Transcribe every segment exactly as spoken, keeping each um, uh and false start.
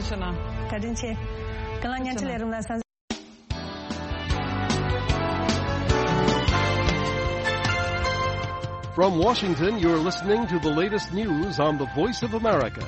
བཀའ་དྲིན་ཆེ། ཁྱེད་རང་བརྙན་འཕྲིན་ལས་རིམ་ལ་གསན། From Washington, you're listening to the latest news on the Voice of America.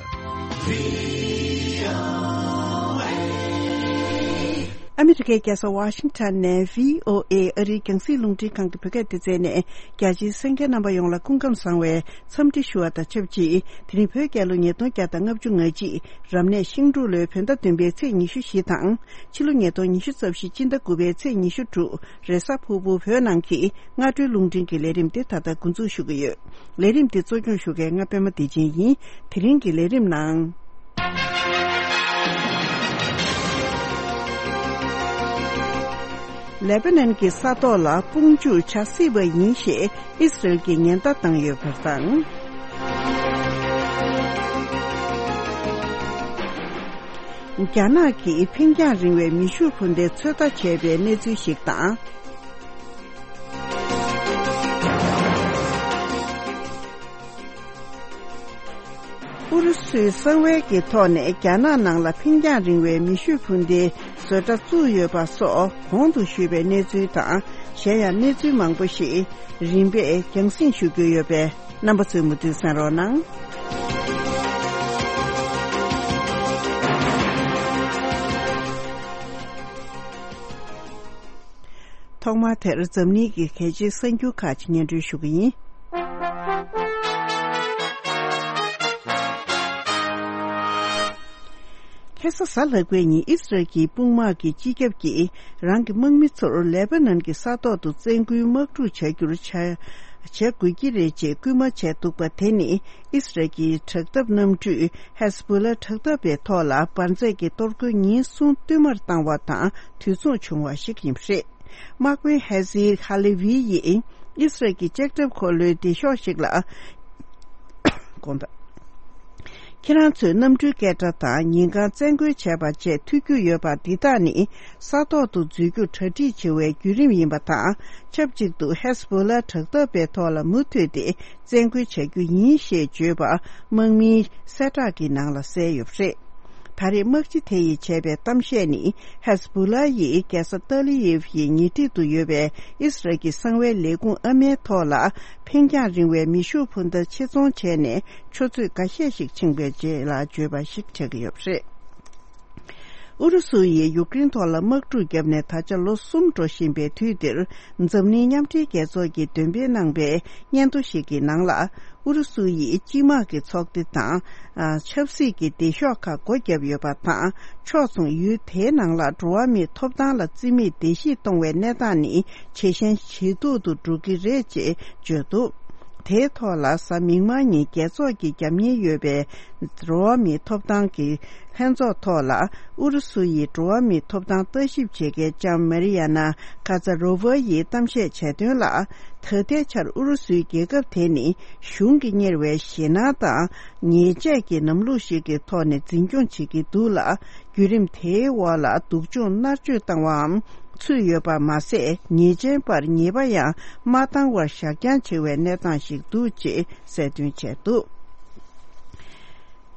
ཨ་མི་རི་ཀའི་རྒྱལ་ས་ཝ་ཤིང་ཊོན་ནས་བྷི་ཨོ་ཨེ་ཨ་རིའི་རྒྱང་སྲིང་རླུང་འཕྲིན་ཁང་གི་བོད་སྐད་སྡེ་ཚན་ནས་རྒྱ་ཆེའི་གསན་མཁན་རྣམ་པ་ཡོངས་ལ་སྐུ་ཁམས་བཟང་བའི་འཚམས་འདྲི་ཞུ་བ་དང་ཆབས་ཅིག་དེ་རིང་བོད་རྒྱལ་ལོ་ཉིས་སྟོང་བརྒྱ་དང་ལྔ་བཅུ་ང་གཅིག་རབ་གནས་ཤིང་འབྲུག་ལོའི་བོད་ཟླ་བདུན་པའི་ཚེས་ཉི་ཤུ་བཞི་དང་། ཕྱི་ལོ་ཉིས་སྟོང་ཉི་ཤུ་རྩ་བཞི་སྤྱི་ཟླ་དགུ་པའི་ཚེས་ཉི་ཤུ་དྲུག་རེས་གཟའ་ཕུར་བུ་བོད་ནང་གི་སྔ་དྲོའི་རླུང་འཕྲིན་གྱི་ལས་རིམ་འདི་ད་ལྟ་འགོ་འཛུགས་ཞུ་གི་ཡོད། ལས་རིམ་འདི་གཙོ་སྐྱོང་ཞུ་མཁན་ང་པད་མ་བདེ་ཆེན་ཡིན། དེ་རིང་གི་ལས་རིམ་ནང་། ལེ་པ་ནན་གྱི་ས་ཐོག་ལ་དཔུང་འཇུག་བྱ་སྲིད་པ་ཡིན་ཞེས་ཨི་སི་རེལ་གྱིས་ཉེན་བརྡ་བཏང་ཡོད་པ་དང་། རྒྱ་ནག་གིས་འཕེན་རྒྱང་རིང་བའི་མེ་ཤུགས་འཕུར་མདེལ་ཚོད་ལྟ་བྱས་པའི་གནས་ཚུལ་ཞིག་དང་། ཨུ་རུ་སུའི་གསང་བའི་གི་ཐོག་ནས་རྒྱ་ནག་ནང་ལ་འཕེན་རྒྱང་རིང་བའི་མེ་ཤུགས་འཕུར་མདེལ་བཟོ་གྲྭ་བཙུགས་ཡོད་པ་སོགས་གོང་དུ་ཞུས་པའི་གནས་ཚུལ་དང་། གཞན་ཡང་གནས་ཚུལ་མང་པོ་ཞིག་རིམ་པས་རྒྱང་སྲིང་ཞུ་རྒྱུ་ཡོད་པས། རྣམ་པ་ཚོས་མུ་མཐུད་གསན་རོགས་གནང་། ཐོག་མར་དེར་འཛམ་གླིང་གི་གལ་ཆེའི་གསར་འགྱུར་ཁག་ཅིག་སྙན་སྒྲོན་ཞུ་གི་ཡིན། ཁ་སང་གཟའ་ལྷག་པའི་ཉིན་ཨི་སི་རལ་གྱི་དཔུང་དམག་གི་སྤྱི་ཁྱབ་ཀྱིས་རང་གི་དམག་མི་ཚོར་ལེ་པ་ནན་གྱི་ས་ཐོག་ཏུ་བཙན་སྐུལ་དམག་འཁྲུག་བྱ་རྒྱུར་བྱ་བྱ་དགོས་ཀྱི་རེད་ཅེས་སྐུལ་མ་བྱས་འདུག་པ་དེ་ནི་ཨི་སི་རལ་གྱི་དྲག་འཐབ་གནམ་གྲུས་ཧེ་སི་བྷོ་ལ་དྲག་འཐབ་པའི་ཐོག་ལ་འབར་རྫས་ཀྱི་གཏོར་རྒོལ་ཉིན་གསུམ་བསྟུད་མར་བཏང་བ་དང་དུས་མཚུངས་བྱུང་བ་ཞིག་ཡིན་པ་རེད། དམག་དཔོན་ཧེ་ཟི་ཧ་ལེ་ཝི་ཡིས་ཨི་སི་རལ་གྱི་ལྕགས་ཁྲབ་འཁོར་ལོའི་སྡེ་ཤོག་ཞིག་ལ། དགོངས་དག་ཁྱེད་རང་ཚོས་གནམ་གྲུའི་སྐད་སྒྲ་དང་ཉིན་གང་བཙན་རྒོལ་བྱས་པ་བཅས་ཐོས་རྒྱུ་ཡོད་པ་འདི་དག་ནི་ས་ཐོག་ཏུ་འཛུལ་རྒྱུར་གྲ་སྒྲིག་བྱེད་པའི་བརྒྱུད་རིམ་ཡིན་པ་དང་། ཆབས་ཅིག་ཏུ་ཧེ་སི་བྷོ་ལ་དྲག་འཐབ་པའི་ཐོག་ལ་མུ་མཐུད་དེ་བཙན་རྒོལ་བྱ་རྒྱུ་ཡིན་ཞེས་བརྗོད་པ་དམག་མིའི་གསལ་བསྒྲགས་ཀྱི་ནང་ལ་གསལ་ཡོད་པ་རེད། ད་རེས་དམག་སྤྱི་དེ་ཡིས་བྱས་པའི་གཏམ་བཤད་ནི་ཧེ་སི་བྷོ་ལ་ཡིས་རྒྱལ་ས་ཏཱ་ལི་ཡིབ་ཡི་ཉེ་འཁྲིས་དུ་ཡོད་པའི་ཨི་སི་རལ་གྱི་གསང་བའི་ལས་ཁུངས་ཨ་མའི་ཐོག་ལ་འཕེན་རྒྱང་རིང་བའི་མེ་ཤུགས་འཕུར་མདའ་ཆེད་རྫོང་བྱས་ནས་ཆུ་ཚོད་འགའ་ཤས་ཤིག་ཕྱིན་པའི་རྗེས་ལ་བརྗོད་པ་ཞིག་ཆགས་ཀྱི་ཡོད་པ་རེད། ཨུ་རུ་སུ་ཡིས་ཡུཀ་རེན་ཐོག་ལ་དམག་འཁྲུག་བརྒྱབ་ནས་ད་ཆ་ལོ་གསུམ་འགྲོ་བཞིན་པའི་དུས་འདིར། འཛམ་གླིང་མཉམ་འབྲེལ་རྒྱལ་ཚོགས་ཀྱིས་འདོན་སྤེལ་གནང་པའི་སྙན་ཐོ་ཞིག་གི་ནང་ལ། ཨུ་རུ་སུ་ཡིས་སྤྱི་དམངས་ཀྱི་ཚོགས་སྡེ་དང་། ཨ། ཆབ་སྲིད་ཀྱི་སྡེ་ཤོག་ཁག་སྒོ་བརྒྱབ་ཡོད་པ་དང་། ཕྱོགས་མཚུངས་ཡུལ་དེའི་ནང་ལ་འགྲོ་བ་མིའི་ཐོབ་ཐང་ལ་བརྩི་མེད་བརྡལ་བཤིག་གཏོང་བའི་གནས་སྟངས་ནི་ཇེ་ཞན་ཇེ་སྡུག་ཏུ་འགྲོ་གི་རེད་ཅེས་བརྗོད་འདུག་དེའི་ཐོག་ལ་གཟའ་མིག་དམར་ཉིན་རྒྱལ་ཚོགས་ཀྱི་རྒྱབ་གཉེར་ཡོད་པའི་འགྲོ་བ་མིའི་ཐོབ་ཐང་གི་ལྷན་ཚོགས་ཐོག་ལ་ཨུ་རུ་སུ་ཡི་འགྲོ་བ་མིའི་ཐོབ་ཐང་ལྟ་ཞིབ་བྱེད་མཁན་ལྕམ་མ་རི་ཡ་ན་ཀ་ཛ་རོ་ཝ་ཡིས་གཏམ་བཤད་བྱས་དོན་ལ། ད་ལྟའི་ཆར་ཨུ་རུ་སུའི་རྒྱལ་ཁབ་དེ་ནི་གཞུང་གིས་གཉེར་བའི་ཞེད་སྣང་དང་ཉེས་ཆད་ཀྱི་ལམ་ལུགས་ཤིག་གི་ཐོག་ནས་འཛིན་སྐྱོང་བྱེད་ཀྱི་འདུག་ལ། བརྒྱུད་རིམ་དེའི་འོག་ལ་སྡུག་སྦྱོང་མནར་གཅོད་བཏང་བའམ་ཚུད་ཡོད་པ་མ་ཟད། ཉེས་ཅན་པར་ཉེས་པ་ཡང་མ་བཏང་བར་བཞག་རྐྱང་བྱེད་པའི་གནས་སྟངས་ཤིག་འདུག་ཅེས་གསལ་སྟོན་བྱས་འདུག་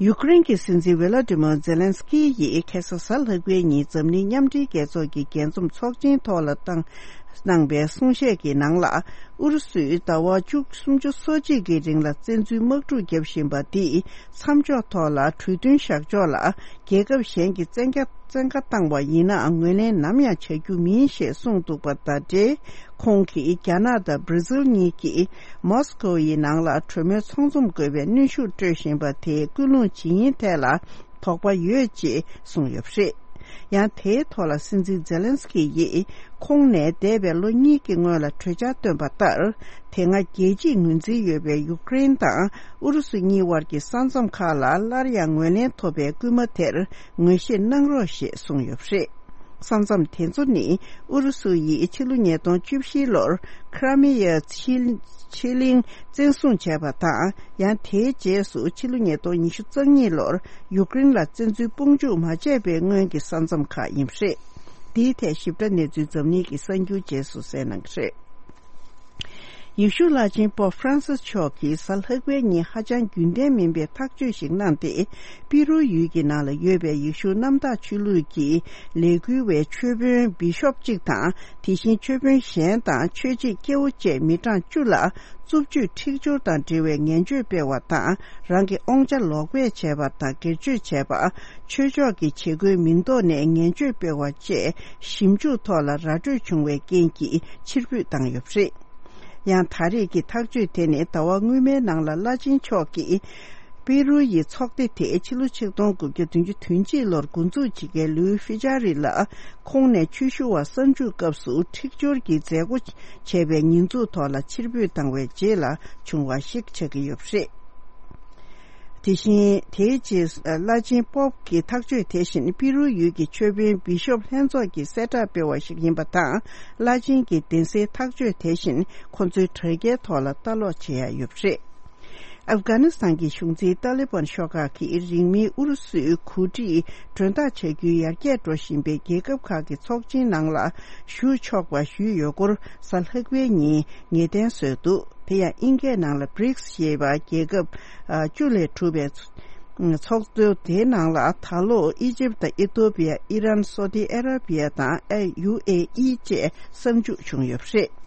ཡུཀ་རེན་གྱི་སྲིད་འཛིན་ཝེ་ལ་ཏི་མོ་ཛེ་ལན་སི་ཀི་ཡིས་ཁ་སང་གཟའ་ལྷག་པའི་ཉིན་འཛམ་གླིང་མཉམ་འབྲེལ་རྒྱལ་ཚོགས་ཀྱི་རྒྱས་འཛོམས་ཚོགས་ཆེན་ཐོག་ལ་བཏང་གནང་པའི་གསུང་བཤད་ཀྱི་ནང་ལ། ཨུ་རུ་སུས་ཟླ་བ་བཅུ་སུམ་ཅུ་སོ་གཅིག་གི་རིང་ལ་བཙན་འཛུལ་དམག་འཁྲུག་བརྒྱབ་བཞིན་པ་འདིས་མཚམས་འཇོག་ཐོག་ལ་གྲོས་མཐུན་བཞག་ཕྱོགས་ལ་རྒྱལ་ཁབ་གཞན་གྱིས་བཙན་རྒྱ་བཙན་བཀའ་བཏང་བ་ཡིན་ནའང་ངོས་ལེན་ནམ་ཡང་བྱ་རྒྱུ་མིན་ཞེས་གསུངས་འདུག་པ་དང་འབྲེལ། ཁོང་གིས་རྒྱ་ནག་དང་བྷར་ཛིལ་གཉིས་ཀྱིས་མོ་སི་ཁོ་ཡི་ནང་ལ་གྲོས་མོལ་ཚོགས་འཛོམས་དགོས་པའི་གནོན་ཤུགས་སྤྲོད་བཞིན་པ་དེའི་ཀུན་སློང་ཇི་ཡིན་ཐད་ལ་དོགས་པ་ཡོད་ཅེས་གསུངས་ཡོད་པ་རེད། ཡང་དེའི་ཐོག་ལ་སྲིད་འཛིན་ཛེ་ལན་སི་ཀི་ཡིས་ཁོང་ནས་འདས་པའི་ལོ་གཉིས་ཀྱི་སྔོན་ལ་གྲོས་འཆར་བཏོན་པ་ལྟར། དེ་སྔ་རྒྱལ་སྤྱིས་ངོས་འཛིན་ཡོད་པའི་ཡུཀ་རེན་དང་ཨུ་རུ་སུ་གཉིས་དབར་གྱི་ས་མཚམས་ཁག་ལ་སླར་ཡང་ངོས་ལེན་ཐོབ་པའི་སྐུལ་མ་དེར་ངོས་བཞེས་གནང་རོགས་ཞེས་གསུངས་ཡོད་པ་རེད། ས་མཚམས་དེ་ཚོ་ནི་ཨུ་རུ་སུ་ཡིས་ཕྱི་ལོ་ཉིས་སྟོང་བཅུ་བཞི་ལོར་ཁ་ར་མི་ཡ་ཕྱེད་གླིང་བཙན་བཟུང་བྱས་པ་དང་། ཡང་དེའི་རྗེས་སུ་ཕྱི་ལོ་ཉིས་སྟོང་ཉི་ཤུ་རྩ་གཉིས་ལོར་ཡུཀ་རེན་ལ་བཙན་འཛུལ་དཔུང་འཇུག་མ་བྱས་པའི་སྔོན་གྱི་ས་མཚམས་ཁག་ཡིན་པ་རེད། འདིའི་ཐད་ཞིབ་ཕྲ་གནས་ཚུལ་འཛམ་གླིང་གི་གསར་འགྱུར་རྗེས་སུ་གསན་གནང་གི་རེད། ཡེ་ཤུ་བླ་ཆེན་པོབ་ཧྥ་རན་སིས་མཆོག་གིས་གཟའ་ལྷག་པའི་ཉིན་ཧ་ཅང་རྒྱུན་ལྡན་མིན་པའི་ཐག་གཅོད་ཞིག་གནང་སྟེ། པི་རུ་ཡུལ་གྱི་ནང་ལ་ཡོད་པའི་ཡེ་ཤུ་གནམ་བདག་ཆོས་ལུགས་ཀྱི་ལས་འགུལ་བའི་ཆོས་དཔོན་བི་ཤོབ་གཅིག་དང་། དེ་བཞིན་ཆོས་དཔོན་གཞན་དང་ཆོས་བྱེད་སྐྱེ་བོ་བཅས་མི་གྲངས་བཅུ་ལ་རྩུབ་སྤྱོད་འཁྲིག་སྦྱོར་དང་འབྲེལ་བའི་ངན་བྱུས་སྤེལ་བ་དང་། རང་གི་དབང་ཆ་ལོག་སྤེལ་བྱས་པ་དང་སྒེར་གཅོད་བྱས་པ། ཆོས་ཕྱོགས་ཀྱི་བྱེད་སྒོའི་མིང་ཐོག་ནས་ངན་བྱུས་སྤེལ་བ་བཅས་ཞིབ་འཇུག་ཐོག་ལ་ར་སྤྲོད་བྱུང་བའི་རྐྱེན་གྱིས་ཕྱིར་འབུད་བཏང་ཡོད་པ་རེད། ཡང་ད་རེས་ཀྱི་ཐག་གཅོད་དེ་ནི་ཟླ་བ་སྔོན་མའི་ནང་ལ་བླ་ཆེན་མཆོག་གིས་པེ་རུ་ཡི་ཚོགས་སྡེ་དེ་ཕྱི་ལོ་ཆིག་སྟོང་དགུ་བརྒྱ་བདུན་ཅུ་དོན་གཅིག་ལོར་འགོ་འཛུགས་བྱེད་མཁན་ལུའི་ཧྥི་ཅཱ་རི་ལ་ཁོང་ནས་ཆོས་ཞུ་བ་གསར་འཇུག་སྐབས་སུ་འཁྲིག་སྦྱོར་གྱི་མཛད་སྒོ་བྱས་པའི་ཉེས་འཛུགས་ཐོག་ལ་ཕྱིར་འབུད་བཏང་བའི་རྗེས་ལ་བྱུང་བ་ཞིག་ཆགས་ཀྱི་ཡོད་པ་རེད། དེ་བཞིན་དེའི་རྗེས་བླ་ཆེན་པོབ་ཀྱི་ཐག་གཅོད་དེ་བཞིན་པི་རུ་ཡུལ་གྱི་ཆོས་དཔོན་བི་ཤོབ་ལྷན་ཚོགས་ཀྱིས་གསལ་བསྒྲགས་སྤེལ་བ་ཞིག་ཡིན་པ་དང་། བླ་ཆེན་གྱི་གདན་སའི་ཐག་གཅོད་དེ་བཞིན་ཁོ་ཚོའི་དྲ་རྒྱའི་ཐོག་ལ་ལྟ་ཀློག་བྱེད་ཡ་ཡོད་པ་རེད། ཨབ་གྷ་ནི་སི་ཐན་གྱི་གཞུང་འཛིན་ཏཱ་ལི་བན་ཤོག་ཁག་གིས་རིང་མིན་ཨུ་རུ་སུའི་གོ་སྒྲིག་མགྲོན་བདག་བྱ་རྒྱུའི་ཡར་རྒྱས་འགྲོ་བཞིན་པའི་རྒྱལ་ཁབ་ཁག་གི་ཚོགས་ཆེན་ནང་ལ་ཞུགས་ཆོག་པ་ཞུས་ཡོད་སྐོར་གཟའ་ལྷག་པའི་ཉིན་ངེས་གཏན་བཟོས་འདུག་དེ་ཡང་དབྱིན་སྐད་ནང་ལ་བྷི་རིགས་ཞེས་པ་རྒྱལ་ཁབ་བཅུ་ལས་གྲུབ་པའི་ཚོགས་འདུ་དེའི་ནང་ལ་ད་ལོ་ཨི་ཇིབ་དང་ཨི་ཐོ་པི་ཡ། ཨི་རན། སོ་ཏི་ཨ་ར་པི་ཡ་དང་ཨ། ཡུ་ཨེ་ཨི་བཅས་གསར་འཇུག་བྱུང་ཡོད་པ་རེད།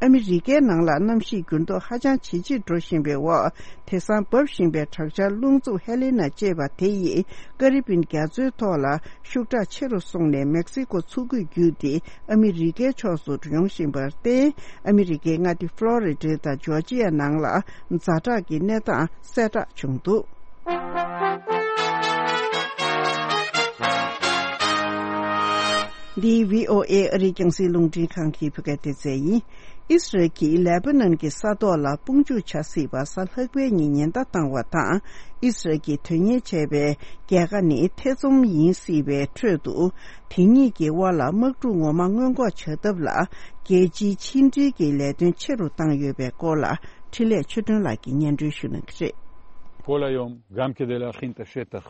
ཨ་མི་རི་ཀའི་ནང་ལ་གནམ་གཤིས་འགྱུར་ལྡོག་ཧ་ཅང་ཇེ་ཆེར་འགྲོ་བཞིན་པའི་འོག་དེང་སང་འབབ་བཞིན་པའི་དྲག་ཆར་རླུང་འཚུབ་ཧེ་ལི་ན་ཅེས་པ་དེ་ཡིས་ཀ་རི་བིན་རྒྱ་མཚོའི་ཐོག་ལ་ཤུགས་དྲག་ཆེ་རུ་སོང་ནས་མེག་སི་ཀོ་མཚོ་ཁུལ་བརྒྱུད་དེ་ཨ་མི་རི་ཀའི་ཕྱོགས་སུ་ཡོང་བཞིན་པར་བརྟེན། ཨ་མི་རི་ཀའི་མངའ་སྡེ་ཕློ་རི་ཌ་དང་ཇོར་ཇི་ཡ་ནང་ལ་ཛ་དྲག་གི་གནས་སྟངས་གསལ་བསྒྲགས་བྱུང་འདུག་འདི་བྷི་ཨོ་ཨེ་ཨ་རིའི་རྒྱང་སྲིང་རླུང་འཕྲིན་ཁང་གི་བོད་སྐད་སྡེ་ཚན་ཡིན། ཨི་སི་རལ་གྱིས་ལེ་པ་ནན་གྱི་ས་ཐོག་ལ་དཔུང་འཇུག་བྱ་སྲིད་པ་གཟའ་ལྷག་པའི་ཉིན་ཉེན་བརྡ་བཏང་བ་དང་། ཨི་སི་རལ་གྱིས་དོན་གཉེར་བྱས་པའི་རྒྱལ་ཁ་ནི་ཐེ་ཚོམ་ཡིན་སྲིད་པའི་ཁྲོད་དུ། དེ་གཉིས་ཀྱི་དབར་ལ་དམག་འཁྲུག་ངོ་མ་སྔོན་འགོག་བྱ་ཐབས་ལ་རྒྱལ་སྤྱིའི་ཕྱི་འབྲེལ་གྱི་ལས་དོན་ཆེ་རུ་བཏང་ཡོད་པའི་སྐོར་ལ་འཕྲིན་ལས་ཆོས་སྒྲོན་ལགས་ཀྱིས་སྙན་སྒྲོན་ཞུ་གནང་གི་རེད། כל היום, גם כדי להכין את השטח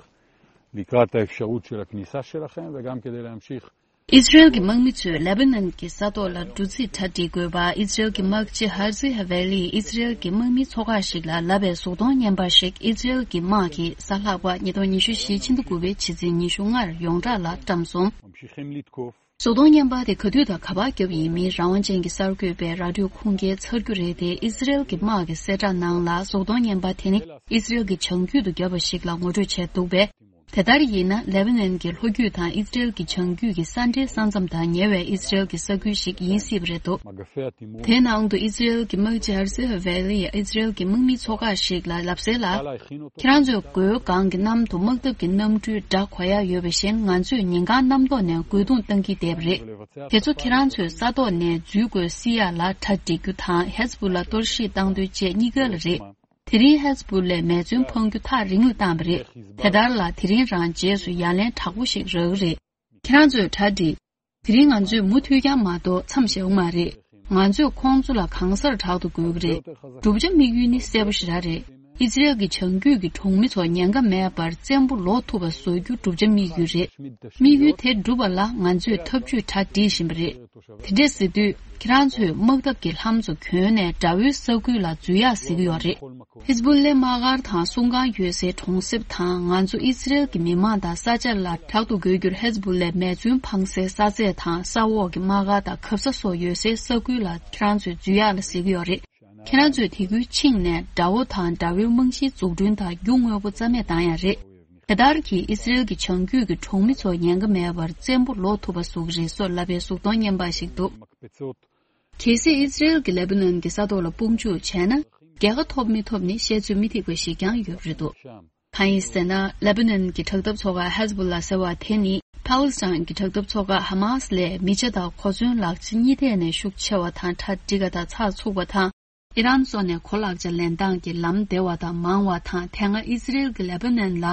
לקראת האפשרות של הכניסה שלכם וגם כדי להמשיך. ཨི་སི་རལ་གྱི་དམག་མི་ཚོས་ལེ་བྷ་ནན་གྱི་ས་ཐོག་ལ་འགྲོ་རྩིས་གྲ་སྒྲིག་དགོས་པ། ཨི་སི་རལ་གྱི་དམག་སྤྱི་ཧར་ཛི་ཧ་ཝེ་ལིས་ཨི་སི་རལ་གྱི་དམག་མིའི་ཚོགས་ཁག་ཞིག་ལ་ལབ་པའི་གཟུགས་མཐོང་བརྙན་པར་ཞིག་ཨི་སི་རལ་གྱི་དམག་གིས་གཟའ་ལྷག་པ་ཉིས་སྟོང་ཉི་ཤུ་རྩ་བཞི་ཕྱི་ཟླ་དགུ་པའི་ཕྱི་ཚེས་ཉི་ཤུ་ལྔ་ཡོངས་གྲགས་ལ་བཀྲམ་སོང་། གཟུགས་མཐོང་བརྙན་པར་དེ་ག་དུས་དང་ག་པར་བརྒྱབ་ཡིན་མིན་རང་དབང་ཅན་གྱི་གསར་འགོད་པས་ར་ཌིའོ་ཁུངས་སྐྱེལ་ཚར་རྒྱུ་རེད་དེ། ཨི་སི་རལ་གྱི་དམག་གི་གསལ་བསྒྲགས་ནང་ལ་གཟུགས་མཐོང་བརྙན་པར་དེ་ནི་ཨི་སི་རལ་གྱི་བྱང་རྒྱུད་དུ་བརྒྱབ་པ་ཞིག་ལ་ངོ་སྤྲོད་བྱས་འདུག་པས། དེ་ལྟར་ཡིན་ན་ལེ་བྷ་ནན་གྱི་ལྷོ་རྒྱུད་དང་ཨི་སི་རལ་གྱི་བྱང་རྒྱུད་ཀྱི་ས་འབྲེལ་ས་མཚམས་དང་ཉེ་བའི་ཨི་སི་རལ་གྱི་ས་ཁུལ་ཞིག་ཡིན་སྲིད་པ་རེད་འདུག་དེའི་ནང་དུ་ཨི་སི་རལ་གྱི་དམག་སྤྱི་ཧར་ཛི་ཧ་ཝེ་ལིས་ཨི་སི་རལ་གྱི་དམག་མིའི་ཚོགས་ཁག་ཞིག་ལ་ལབ་གསལ་ལ། ཁྱེད་རང་ཚོས་མགོའི་སྒང་གི་གནམ་དུ་དམག་འཐབ་ཀྱི་གནམ་གྲུའི་སྒྲ་གོ་ཡག་ཡོད་པ་བཞིན། ང་ཚོས་ཉིན་གང་གནམ་ཐོག་ནས་རྒོལ་རྡུང་བཏང་གི་བསྡད་པ་རེད། དེ་ཚོ་ཁྱེད་རང་ཚོས་ས་ཐོག་ནས་འཛུལ་དགོས་སྲིད་ཡག་ལ་གྲ་སྒྲིག་རྒྱུ་དང་ཧེ་ཛ་བྷུ་ལ་གཏོར་བཤིག་བཏང་འདོད་བཅས་གཉིས་ཀ་ལ་རེད། དེ་རིང་ཧེ་ཛ་བྷུ་ལའི་མེ་མཚོན་འཕང་རྒྱུ་ཐག་རིང་ལ་བཏང་བ་རེད། དེ་ལྟར་ལ་དེ་རིང་རང་རྗེས་སུ་ཡ་ལན་དྲག་པོ་ཞིག་རག་གི་རེད། ཁྱེད་རང་ཚོས་གྲ་སྒྲིག་དེ་རིང་ང་ཚོས་མུ་མཐུད་རྐྱང་མ་གཏོགས་མཚམས་བཞག་གི་མ་རེད། ང་ཚོས་ཁོང་ཚོ་ལ་གང་སར་དྲག་ཏུ་དགོས་ཀྱི་རེད། བསྒྲུབ་བྱ་དམིགས་ཡུལ་ནི་གསལ་པོ་ཞེ་དྲག་རེད། ཨི་ཛི་རལ་གྱི་བྱང་རྒྱུད་ཀྱི་གྲོང་མི་ཚོ་ཉེན་ཁ་མེད་པར་བཙན་པོ་ལོག་ཐུབ་པ་བཟོ་རྒྱུ་བསྒྲུབ་བྱ་དམིགས་ཡུལ་རེད། དམིགས་ཡུལ་དེ་འགྲུབ་པ་ལ་ང་ཚོས་ཐབས་ཇུས་གྲ་སྒྲིག་བཞིན་པ་རེད། དེ་འདྲས་ཟེར་དུས་ཁྱེད་རང་ཚོས་དམག་འཐབ་ཀྱི་ལྷམ་ཚོ་གྱོན་ནས་དགྲ་བོའི་ས་ཁུལ་ལ་འཛུལ་ཡག་ཟེར་གྱི་ཡོད་རེད། ཧི་ཛ་བྷུ་ལའི་དམག་སྒར་དང་སྲུང་ཁང་ཡོད་སའི་གྲོང་གསེབ་དང་། ང་ཚོ་ཨི་སི་རེལ་གྱི་མི་མང་དང་ས་ཆ་ལ་དྲག་ཏུ་རྒོལ་རྒྱུར་ཧི་ཛ་བྷུ་ལའི་མེ་མཚོན་འཕང་སའི་ས་ཚད་དང་། ས་འོག་གི་དམག་སྒར་དང་གབ་ས་སོགས་ཡོད་སའི་ས་ཁུལ་ལ་ཁྱེད་རང་ཚོས་འཛུལ་ཡག་ལ་ཟེར་གྱི་ཡོད་རེད། ཁྱེད་རང་ཚོས་དེ་ཁུལ་ཕྱིན་ནས་དགྲ་བོ་དང་དགྲ་བོའི་རྨང་གཞིའི་འཛུགས་སྐྲུན་དང་རྒྱུ་དངོས་པོ་རྩ་མེད་བཏང་ཡག་རེད། དེ་ལྟར་གྱིས་ཨི་སི་རེལ་གྱི་བྱང་རྒྱུད་ཀྱི་གྲོང་མི་ཚོ་ཉེན་ཁ་མེད་པར་བཙན་པོ་ལོག་ཐུབ་པ་བཟོ་གི་རེད་སོགས་ལབ་པའི་གཟུགས་མཐོང་བརྙན་པར་ཞིག་འདུག་གལ་སྲིད་ཨི་སི་རེལ་གྱིས་ལེ་པ་ནན་གྱི་ས་ཐོག་ལ་དཔུང་འཇུག་བྱས་ན། རྒྱལ་ཁ་ཐོབ་མི་ཐོབ་ནི་བཤད་ཚོད་མི་ཐིག་པ་ཞིག་ཀྱང་ཡོད་པ་རེད་འདུག་གང་ཡིན་ཟེར་ན། ལེ་པ་ནན་གྱི་དྲག་འཐབ་ཚོགས་ཁག་ཧེ་ཛ་བྷུ་ལ་ཟེར་བ་དེ་ནི་ཕཱ་ལི་སི་ཐན་གྱི་དྲག་འཐབ་ཚོགས་ཁག་ཧ་མཱ་སི་ལས་མི་ཆ་དང་གོ་མཚོན་ལག་ཆ་གཉིས་ཐད་ནས་ཤུགས་ཆེ་བ་དང་གྲ་འགྲིག་པ་དང་ཚགས་ཚུད་པ་དང་། ཨི་རན་སོགས་ནས་གོ་ལག་ཆ་ལེན་སྟངས་ཀྱི་ལམ་བདེ་བ་དང་མང་བ་དང་། དེ་སྔ་ཨི་སི་རེལ་གྱིས་ལེ་པ་ནན་ལ་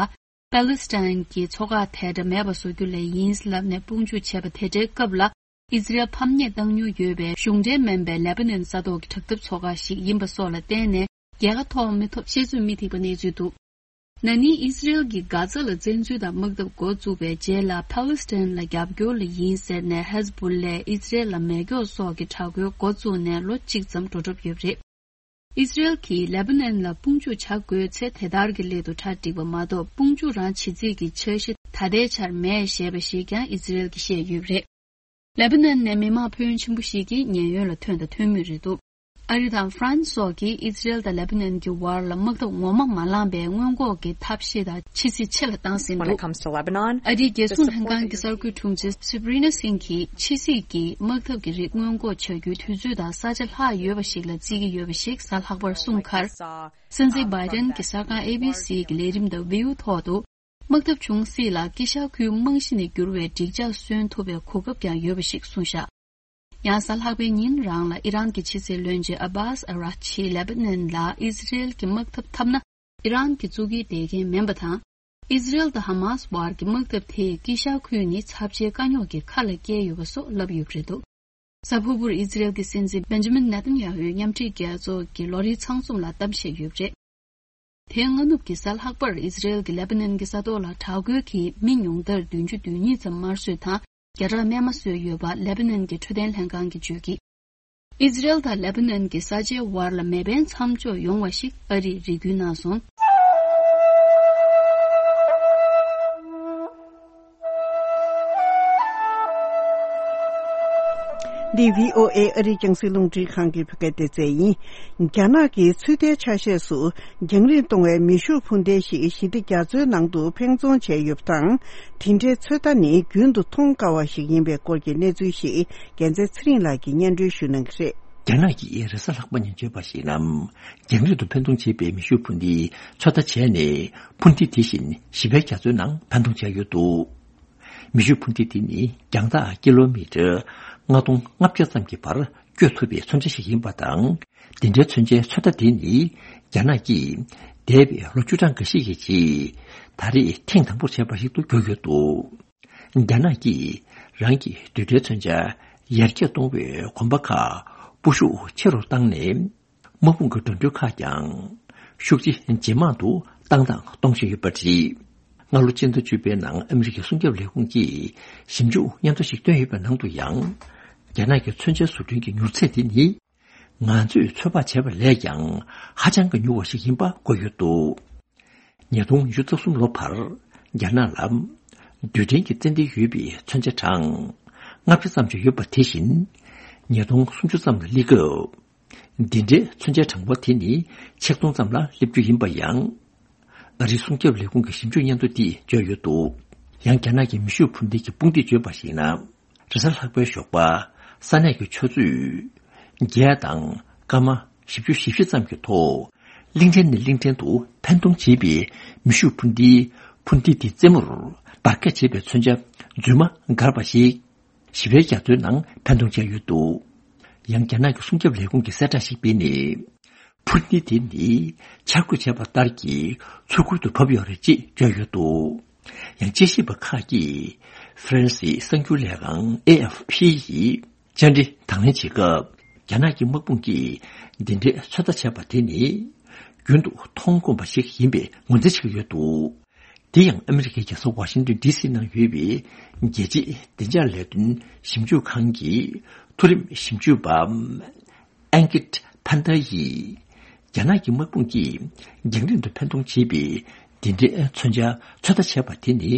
པཱ་ལི་སི་ཐན་གྱི་ཚོགས་ཁག་དེ་འདྲ་མེད་པ་བཟོ་རྒྱུ་ལས་ཡིན་ལབ་ནས་དཔུང་འཇུག་བྱས་པ་དེ་འདྲའི་སྐབས་ལ། ཨི་ཛི་རལ་ཕམ་ཉེས་བཏང་མྱོང་ཡོད་པའི་གཞུང་འབྲེལ་མིན་པའི་ལེ་པ་ནན་ས་ཐོག་གི་དྲག་འཐབ་ཚོགས་ཁག་ཞིག་ཡིན་པ་སོགས་ལ་བརྟེན་ནས་རྒྱལ་ཁ་ཐོབ་མི་ཐོབ་བཤད་ཚོད་མི་ཐིག་པ་གནས་ཚུལ་འདུག་ན་ནིང་ཨི་སི་རེལ་གྱིས་གྷ་ཛ་ལ་བཙན་འཛུལ་དང་དམག་འཐབ་འགོ་བཙུགས་པའི་རྗེས་ལ། ཕཱ་ལི་སི་ཐན་ལ་རྒྱབ་སྐྱོར་ལ་ཡིན་ཟེར་ནས་ཧེ་ཟི་བུ་ལས་ཨི་སི་རེལ་ལ་མེ་སྒྱོགས་སོགས་ཀྱི་དྲག་རྒོལ་འགོ་བཙུགས་ནས་ལོ་གཅིག་ཙམ་འགྲོ་གྲབས་ཡོད་པ་རེད། ཨི་སི་རེལ་གྱིས་ལེ་པ་ནན་ལ་དཔུང་འཇུག་བྱ་དགོས་ཚེ་དེ་ལྟར་གྱི་སླད་དུ་གྲ་སྒྲིག་པ་མ་གཏོགས། དཔུང་འཇུག་རང་བྱེད་རྩིས་ཀྱི་འཆར་གཞི་ད་ལྟའི་ཆར་མེད་ཞེས་པ་ཞིག་ཀྱང་ཨི་སི་རེལ་གྱིས་བཤད་ཡོད་པ་རེད། ལེ་པ་ནན་ནས་མི་མང་ཕོན་ཆེན་པོ་ཞིག་གིས་ཉེན་གཡོལ་ལ་ཐོན་དང་ཐོན་མུས་རེད་འདུག་ཨ་རི་དང་ཧྥ་རན་སི་སོགས་ཀྱིས་ཨི་སི་རེལ་དང་ལེ་པ་ནན་གྱི་བར་ལ་དམག་འཐབ་ངོ་མ་མ་ལངས་པའི་སྔོན་འགོག་གི་ཐབས་ཤེས་དང་ཕྱི་སྲིད་ཆེ་ལ་བཏང་ཟིན་འདུག When it comes to Lebanon, ཨ་རིའི་རྒྱལ་སྲུང་ལྷན་ཁང་གི་གསར་འགོད་དྲུང་ཆེ་Sabrina Singh གྱིས་ཕྱི་སྲིད་ཀྱིས་དམག་འཐབ་ཀྱི་རིགས་སྔོན་འགོག་བྱ་རྒྱུའི་དུས་ཚོད་དང་ས་ཆ་ལྷག་ཡོད་པ་ཞིག་ལ་བརྩི་གི་ཡོད་པ་ཞིག་གཟའ་ལྷག་པར་གསུངས་ཁར། སྲིད་འཛིན་བྷའི་ཏན་གྱི་གསར་ཁང་ཨེ་བྷི་སི་གི་ལས་རིམ་The View ཐོག་ཏུ། དམག་འཐབ་བྱུང་སྲིད་ལ་དཀྱིལ་ཤར་ཁུལ་རྨང་གཞི་ནས་འགྱུར་བའི་འགྲིག་འཇགས་སོན་ཐུབ་པའི་གོ་སྐབས་ཀྱང་ཡོད་པ་ཞིག་གསུངས་བཞག་ཡང་གཟའ་ལྷག་པའི་ཉིན་རང་ལ་ཨི་རན་གྱི་ཕྱི་སྲིད་བློན་ཆེན་ཨ་བྷཱས་ཨ་རག་ཆིས་ལེ་པ་ནན་ལ་ཨི་སི་རེལ་གྱིས་དམག་འཐབ་འཐབ་ན་ཨི་རན་གྱི་གཙུག་གི་བདེ་རྒན་མིན་པ་དང་། ཨི་སི་རེལ་དང་ཧ་མཱས་བར་གྱི་དམག་འཐབ་དེས་དཀྱིལ་ཤར་ཁུལ་ནི་ཚབས་ཆེའི་དཀའ་རྙོག་གི་ཁ་ལ་བསྐྱལ་ཡོད་པ་སོགས་ལབ་ཡོད་པ་རེད་འདུག་གཟའ་ཕུར་བུར་ཨི་སི་རེལ་གྱི་སྲིད་འཛིན་བེན་ཇ་མིན་ནེ་ཐན་ཡ་ཧུའི་མཉམ་འབྲེལ་རྒྱལ་ཚོགས་ཀྱི་ལོ་རེའི་ཚང་འཛོམས་ལ་གཏམ་བཤད་ཡོད་པ་རེད། དེའི་སྔ་ནུབ་ཀྱི་གཟའ་ལྷག་པར་ཨི་སི་རེལ་གྱིས་ལེ་པ་ནན་གྱི་ས་ཐོག་ལ་དྲག་རྒོལ་གྱིས་མི་ཉུང་མཐར་བདུན་ཅུ་དོན་གཉིས་ཙམ་དམར་གསོད་དང་། བརྒྱ་ཕྲག་རྨས་མ་བཟོས་ཡོད་པ་ལེ་པ་ནན་གྱི་འཕྲོད་བསྟེན་ལྷན་ཁང་གིས་བརྗོད་ཀྱིས། ཨི་སི་རེལ་དང་ལེ་པ་ནན་གྱི་ས་ཆའི་བར་ལ་མེ་འཕེན་མཚམས་འཇོག་ཡོང་བ་ཞིག་ཨ་རིས་རེ་སྐུལ་གནང་སོང་། འདི་བྷི་ཨོ་ཨེ་ཨ་རིའི་རྒྱང་སྲིང་རླུང་འཕྲིན་ཁང་གི་བོད་སྐད་སྡེ་ཚན་ཡིན། རྒྱ་ནག་གིས་ཚོད་ལྟའི་ཆ་ཤས་སུ་རྒྱང་རིང་གཏོང་བའི་མེ་ཤུགས་འཕུར་མདེལ་ཞིག་ཞི་བདེ་རྒྱ་མཚོའི་ནང་དུ་འཕེན་རྫོང་བྱས་ཡོད་པ་དང་། དེ་འདྲའི་ཚོད་ལྟ་ནི་རྒྱུན་དུ་མཐོང་དཀའ་བ་ཞིག་ཡིན་པའི་སྐོར་གྱི་གནས་ཚུལ་ཞིག་རྒྱལ་མཚན་ཚེ་རིང་ལགས་ཀྱིས་སྙན་སྒྲོན་ཞུ་གནང་གི་རེད། རྒྱ་ནག་གིས་རེས་གཟའ་ལྷག་པ་ཉིན་བརྗོད་པར་གཞིགས་ན། རྒྱང་རིང་དུ་འཕེན་གཏོང་བྱེད་པའི་མེ་ཤུགས་འཕུར་མདེལ་ཚོད་ལྟ་བྱས་ནས་འཕུར་མདེལ་དེ་བཞིན་ཞི་བའི་རྒྱ་མཚོའི་ནང་འཕེན་གཏོང་བྱས་ཡོད་འདུག་མེ་ཤུགས་འཕུར་མདེལ་དེ་ནི་རྒྱང་ཐག་ཀི་ལོ་མི་ཊར་ལྔ་སྟོང་ལྔ་བརྒྱ་ཙམ་གྱི་བར་བསྐྱོད་ཐུབ་པའི་མཚོན་ཆ་ཞིག་ཡིན་པ་དང་། འདི་འདྲའི་མཚོན་ཆའི་ཚོད་ལྟ་དེ་ནི་རྒྱ་ནག་གིས་འདས་པའི་ལོ་བཅུ་གྲངས་འགའ་ཤས་ཀྱི་རྗེས་ད་རེས་ཐེངས་དང་པོར་བྱས་པ་ཞིག་ཏུ་གྱུར་ཡོད་འདུག་རྒྱ་ནག་གིས་རང་གི་རྡུལ་ཕྲན་མཚོན་ཆ་ཡར་རྒྱས་གཏོང་བའི་གོམ་པ་ཁག་སྤོ་ཤུགས་ཆེ་རུ་བཏང་ནས། དམག་དཔུང་གི་འགྲོ་གྲོན་ཁག་ཀྱང་ཤུགས་ཆེ་ཇེ་མང་དུ་བཏང་དང་གཏོང་བཞིན་ཡོད་པ་རེད། སྔ་ལོ་སྤྱི་ཟླ་བཅུ་པའི་ནང་ཨ་མི་རི་ཀའི་སྲུང་སྐྱོབ་ལས་ཁུངས་ཀྱིས་ཞིབ་འཇུག་སྙན་ཐོ་ཞིག་བཏོན་ཡོད་པའི་ནང་དུ་ཡང་། རྒྱ་ནག་གི་མཚོན་ཆའི་བཟོ་སྐྲུན་གྱི་མྱུར་ཚད་དེ་ནི་ང་ཚོས་ཚོད་དཔག་བྱས་པ་ལས་ཀྱང་ཧ་ཅང་གི་མྱུར་བ་ཞིག་ཡིན་པ་བཀོད་ཡོད་འདུག་ཉིས་སྟོང་ཉི་ཤུ་རྩ་གསུམ་ལོ་བར་རྒྱ་ནག་ལ་རྡུལ་ཕྲན་གྱི་རྩེད་འགྲན་ཡོད་པའི་མཚོན་ཆ་གྲངས་ལྔ་བརྒྱ་ཙམ་ཞིག་ཡོད་པ་དེ་བཞིན་ཉིས་སྟོང་སུམ་ཅུ་ཙམ་ལ་སླེབས་སྐབས། འདི་འདྲའི་མཚོན་ཆའི་གྲངས་འབོར་དེ་ནི་ཆིག་སྟོང་ཙམ་ལ་སླེབས་རྒྱུ་ཡིན་པ་ཡང་། ཨ་རིའི་སྲུང་སྐྱོབ་ལས་ཁུངས་ཀྱི་ཞིབ་འཇུག་སྙན་ཐོ་འདིས་བརྗོད་ཡོད་འདུག་ཡང་རྒྱ་ནག་གི་མེ་ཤུགས་འཕུར་མདེལ་གྱི་དཔུང་སྡེས་བརྗོད་པར་གཞིགས་ན། རེས་གཟའ་ལྷག་པའི་ཞོགས་པ་ས་གནས་ཀྱི་ཆུ་ཚོད་བརྒྱད་དང་སྐར་མ་བཞི་བཅུ་ཞེ་བཞི་ཙམ་གྱི་ཐོག་གླིང་ཕྲན་ནས་གླིང་ཕྲན་དུ་འཕེན་གཏོང་བྱེད་པའི་མེ་ཤུགས་འཕུར་མདེལ་འཕུར་མདེལ་དེའི་རྩེ་མོར་འབར་གས་བྱེད་པའི་མཚོན་ཆ་རྫུན་མ་བསྒར་བ་ཞིག་ཞི་བའི་རྒྱ་མཚོའི་ནང་འཕེན་གཏོང་བྱས་ཡོད་འདུག་ཡང་རྒྱ་ནག་གི་སྲུང་སྐྱོབ་ལས་ཁུངས་ཀྱིས་གསལ་བསྒྲགས་ཤིག་སྤེལ་ནས། འཕུར་མདེལ་དེ་ནི་འཆར་འགོད་བྱས་པ་ལྟར་གྱི་མཚོ་ཁུལ་དུ་བབས་ཡོད་རེད་ཅེས་བརྗོད་ཡོད་འདུག་ཡང་དཔྱད་ཞིབ་པ་ཁག་གིས་ཧྥ་རན་སིའི་གསར་འགྱུར་ལས་ཁང་ཨེ་ཨེཕ་ཕི་ཡིས་བཅར་འདྲི་དང་ལེན་བྱེད་སྐབས། རྒྱ་ནག་གི་དམག་དཔུང་གིས་འདི་འདྲའི་ཚོད་ལྟ་བྱས་པ་དེ་ནི་རྒྱུན་དུ་མཐོང་དཀོན་པ་ཞིག་ཡིན་པའི་ངོས་འཛིན་བྱེད་ཀྱི་ཡོད་འདུག་དེ་ཡང་ཨ་མི་རི་ཀའི་རྒྱལ་ས་ཝ་ཤིང་ཏོན་ཌི་སི་ནང་ཡོད་པའི་རྒྱལ་སྤྱིའི་བདེ་འཇགས་ལས་དོན་ཞིབ་འཇུག་ཁང་གི་མཐོ་རིམ་ཞིབ་འཇུག་པ་ཨན་ཀིད་ཕན་ཐ་ཡིས། རྒྱ་ནག་གི་དམག་དཔུང་གིས་རྒྱང་རིང་དུ་འཕེན་གཏོང་བྱེད་པའི་འདི་འདྲའི་མཚོན་ཆ་ཚོད་ལྟ་བྱས་པ་དེ་ནི་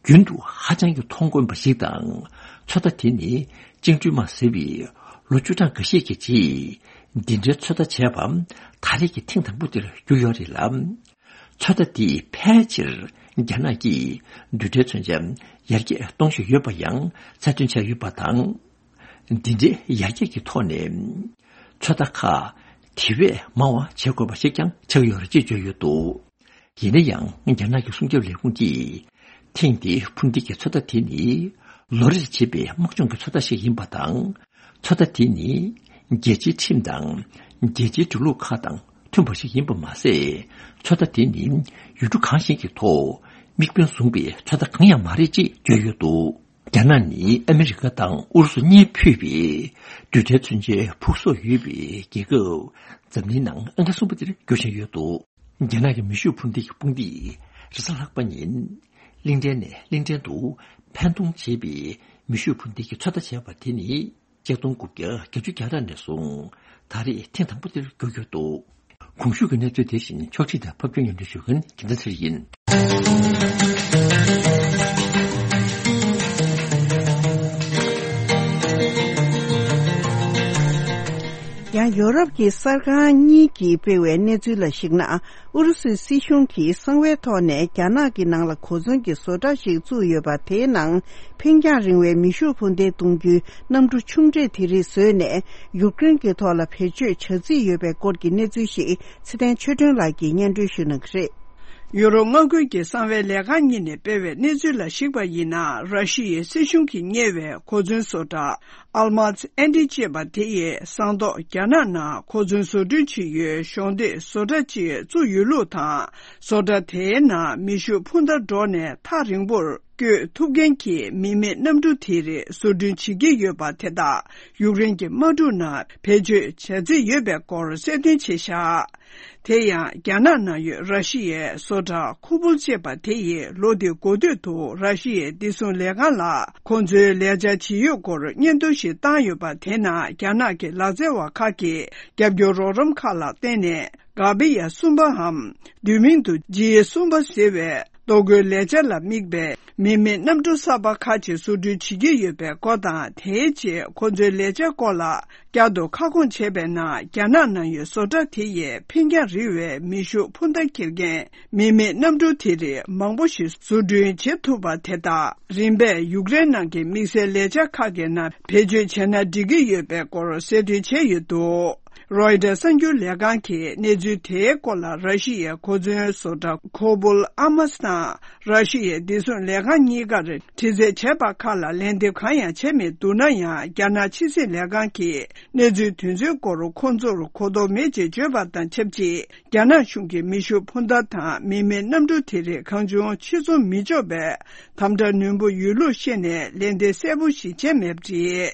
རྒྱུན་དུ་ཧ་ཅང་གི་མཐོང་དཀོན་པ་ཞིག་དང་། ཚོད་ལྟ་དེ་ནི་ཅིང་ཀྲུའུ་མ་ཟེར་བའི་ལོ་བཅུ་གྲངས་འགའ་ཤས་ཀྱི་རྗེས་འདི་འདྲའི་ཚོད་ལྟ་བྱས་པ་ད་རེས་ཀྱི་ཐེངས་དང་པོ་དེར་གྱུར་ཡོད་རེད་ལ། ཚོད་ལྟ་དེས་ཕལ་ཆེར་རྒྱ་ནག་གིས་རྡུལ་ཕྲན་མཚོན་ཆ་ཡར་རྒྱས་གཏོང་བཞིན་ཡོད་པ་ཡང་གསལ་སྟོན་བྱས་ཡོད་པ་དང་། འདི་འདྲའི་ཡར་རྒྱས་ཀྱི་ཐོག་ནས་ཚོད་ལྟ་ཁག་དེ་བས་མང་བ་བྱེད་དགོས་པ་ཞིག་ཀྱང་ཆགས་ཡོད་རེད་ཅེས་བརྗོད་ཡོད་འདུག་ཡིན་ན་ཡང་རྒྱ་ནག་གི་སྲུང་སྐྱོབ་ལས་ཁུངས་ཀྱིས་ཐེངས་འདིའི་འཕུར་མདེལ་གྱི་ཚོད་ལྟ་དེ་ནི་ལོ་རེར་བྱེད་པའི་དམག་སྦྱོང་གི་ཚོད་ལྟ་ཞིག་ཡིན་པ་དང་། ཚོད་ལྟ་དེ་ནི་རྒྱལ་སྤྱིའི་ཁྲིམས་དང་རྒྱལ་སྤྱིའི་འགྲོ་ལུགས་ཁག་དང་མཐུན་པ་ཞིག་ཡིན་པ་མ་ཟད། ཚོད་ལྟ་དེ་ནི་ཡུལ་གྲུ་གང་ཞིག་གི་ཐོག་དམིགས་འབེན་བཟུང་པའི་ཚོད་ལྟ་གང་ཡང་མ་རེད་ཅེས་བརྗོད་ཡོད་འདུག་རྒྱ་ནག་ནི་ཨ་མི་རི་ཀ་དང་ཨུ་རུ་སུ་གཉིས་ཕུད་པའི་རྡུལ་ཕྲན་མཚོན་ཆའི་ཕུགས་གསོག་ཡོད་པའི་རྒྱལ་ཁབ་འཛམ་གླིང་ནང་ཨང་ཀི་གསུམ་པ་དེར་འགྱུར་བཞིན་ཡོད་འདུག་རྒྱ་ནག་གི་མེ་ཤུགས་འཕུར་མདེལ་གྱི་དཔུང་སྡེས་རེས་གཟའ་ལྷག་པ་ཉིན་གླིང་ཕྲན་ནས་གླིང་ཕྲན་དུ་འཕེན་གཏོང་བྱས་པའི་མེ་ཤུགས་འཕུར་མདེལ་གྱི་ཚོད་ལྟ་བྱས་པ་དེ་ནི་ཆིག་སྟོང་དགུ་བརྒྱ་བརྒྱད་ཅུ་གྱ་གྲངས་ནས་བཟུང་ད་རེས་ཐེངས་དང་པོ་དེར་གྱུར་ཡོད་འདུག། གོང་ཞུས་ཀྱི་གནས་ཚུལ་དེ་བཞིན་ཕྱོགས་སྒྲིག་དང་ཕབ་སྒྱུར་སྙན་སྒྲོན་ཞུ་མཁན་རྒྱལ་མཚན་ཚེ་རིང་ཡིན། ཡང་ཡོ་རོབ་ཀྱི་གསར་ཁང་གཉིས་ཀྱིས་སྤེལ་བའི་གནས་ཚུལ་ལ་གཞིགས་ན། ཨུ་རུ་སུའི་སྲིད་གཞུང་གིས་གསང་བའི་ཐོག་ནས་རྒྱ་ནག་གི་ནང་ལ་གོ་མཚོན་གྱི་བཟོ་གྲྭ་ཞིག་བཙུགས་ཡོད་པ། དེའི་ནང་འཕེན་རྒྱང་རིང་བའི་མེ་ཤུགས་འཕུར་མདེལ་གཏོང་རྒྱུའི་གནམ་གྲུ་ཆུང་གྲས་དེ་རིགས་བཟོས་ནས་ཡུཀ་རེན་གྱི་ཐོག་ལ་བེད་སྤྱོད་བྱ་རྩིས་ཡོད་པའི་སྐོར་གྱི་གནས་ཚུལ་ཞིག་ཚེ་བརྟན་ཆོས་སྒྲོན་ལགས་ཀྱིས་སྙན་སྒྲོན་ཞུ་གནང་གི་རེད། ཡུ་རོབ་མངའ་ཁུལ་གྱི་གསང་བའི་ལས་ཁང་གཉིས་ནས་སྤེལ་བའི་གནས་ཚུལ་ལ་གཞིགས་པ་ཡིན་ན། ར་ཤི་ཡའི་སྲིད་གཞུང་གིས་གཉེར་བའི་གོ་མཚོན་བཟོ་གྲྭ་ཨལ་མཱས་ཨན་ཏི་ཅེས་པ་དེ་ཡིས་ཟངས་མདོག་རྒྱ་ནག་ནང་གོ་མཚོན་བཟོ་སྐྲུན་བྱེད་ཡུལ་གཞོགས་འདེགས་བཟོ་གྲྭ་ཅིག་བཙུགས་ཡོད་ལུགས་དང་། བཟོ་གྲྭ་དེའི་ནང་མེ་ཤུགས་འཕུར་མདའ་སྒྲོག་ནས་ཐག་རིང་པོར་བསྐྱོད་ཐུབ་མཁན་གྱི་མི་མེད་གནམ་གྲུ་དེ་རིགས་བཟོ་སྐྲུན་བྱེད་ཀྱི་ཡོད་པ་དེ་དག་ཡུཀ་རེན་གྱི་དམག་འཁྲུག་ནང་བེད་སྤྱོད་བྱ་རྩིས་ཡོད་པའི་སྐོར་གསལ་སྟོན་བྱས་བཞག། དེ་ཡང་རྒྱ་ནག་ནང་ཡོད་ར་ཤི་ཡའི་བཟོ་གྲྭ་ཁུ་པུལ་ཅེས་པ་དེ་ཡིས་ལོ་འདིའི་འགོ་སྟོད་དུ་ར་ཤི་ཡའི་བདེ་སྲུང་ལས་ཁང་ལ་ཁོང་ཚོའི་ལས་འཆར་ཇི་ཡོད་སྐོར་སྙན་ཐོ་ཞིག་བཏང་ཡོད་པ། དེ་ནང་རྒྱ་ནག་གི་ལག་རྩལ་བ་ཁག་གིས་རྒྱབ་སྐྱོར་རོགས་རམ་ཁག་ལ་བརྟེན་ནས་གྷ་བི་ཡ་གསུམ་པའམ་བསྡུས་མིང་དུ་ཇི་གསུམ་པ་ཟེར་བའི་ལྟོ་གོས་ལས་འཆར་ལ་དམིགས་པའི་མི་མེད་གནམ་གྲུ་གསར་པ་ཁག་ཅིག་བཟོ་སྐྲུན་བྱེད་ཀྱི་ཡོད་པའི་སྐོར་དང་། དེའི་རྗེས་ཁོ་ཚོའི་ལས་འཆར་སྐོར་ལ་བསྐྱར་དུ་ཁ་སྐོང་བྱས་པའི་ནང་། རྒྱ་ནག་ནང་ཡོད་བཟོ་གྲྭ་དེ་ཡིས་འཕེན་རྒྱང་རིང་བའི་མེ་ཤུགས་འཕུར་མདའ་འཁྱེར་མཁན་མི་མེད་གནམ་གྲུ་དེ་རིགས་མང་པོ་ཞིག་བཟོ་སྐྲུན་བྱེད་ཐུབ་པ་དེ་དག་རིམ་པས་ཡུཀ་རེན་ནང་གི་དམིགས་བསལ་ལས་འཆར་ཁག་གི་ནང་བེད་སྤྱོད་བྱས་ན་འགྲིག་གི་ཡོད་པའི་སྐོར་གསལ་སྟོན་བྱས་ཡོད་འདུག། རོའི་ཊར་གསར་འགྱུར་ལས་ཁང་གིས་གནས་ཚུལ་དེའི་སྐོར་ལ་ར་ཤི་ཡའི་གོ་མཚོན་བཟོ་གྲྭ་ཁོ་པུལ་ཨ་མཱས་དང་ར་ཤི་ཡའི་བདེ་སྲུང་ལས་ཁང་གཉིས་ཀར་དྲི་རྩད་བྱས་པ་ཁག་ལ་ལན་འདེབས་གང་ཡང་བྱས་མེད་འདུག་ན་ཡང་། རྒྱ་ནག་ཕྱི་སྲིད་ལས་ཁང་གིས་གནས་ཚུལ་དེ་ཚོའི་སྐོར་ཁོང་ཚོར་གོ་རྟོགས་མེད་ཅེས་བརྗོད་པ་དང་ཆབས་ཅིག། རྒྱ་ནག་གཞུང་གིས་མེ་ཤུགས་འཕུར་མདའ་དང་མི་མེད་གནམ་གྲུ་དེ་རིགས་གང་བྱུང་ཕྱིར་ཚོང་མི་ཆོག་པའི་དམ་དྲག་ནན་པོ་ཡོད་ལུགས་བཤད་ནས་ལན་འདེབས་གསལ་པོ་ཞིག་བྱས་མེད་པ་རེད།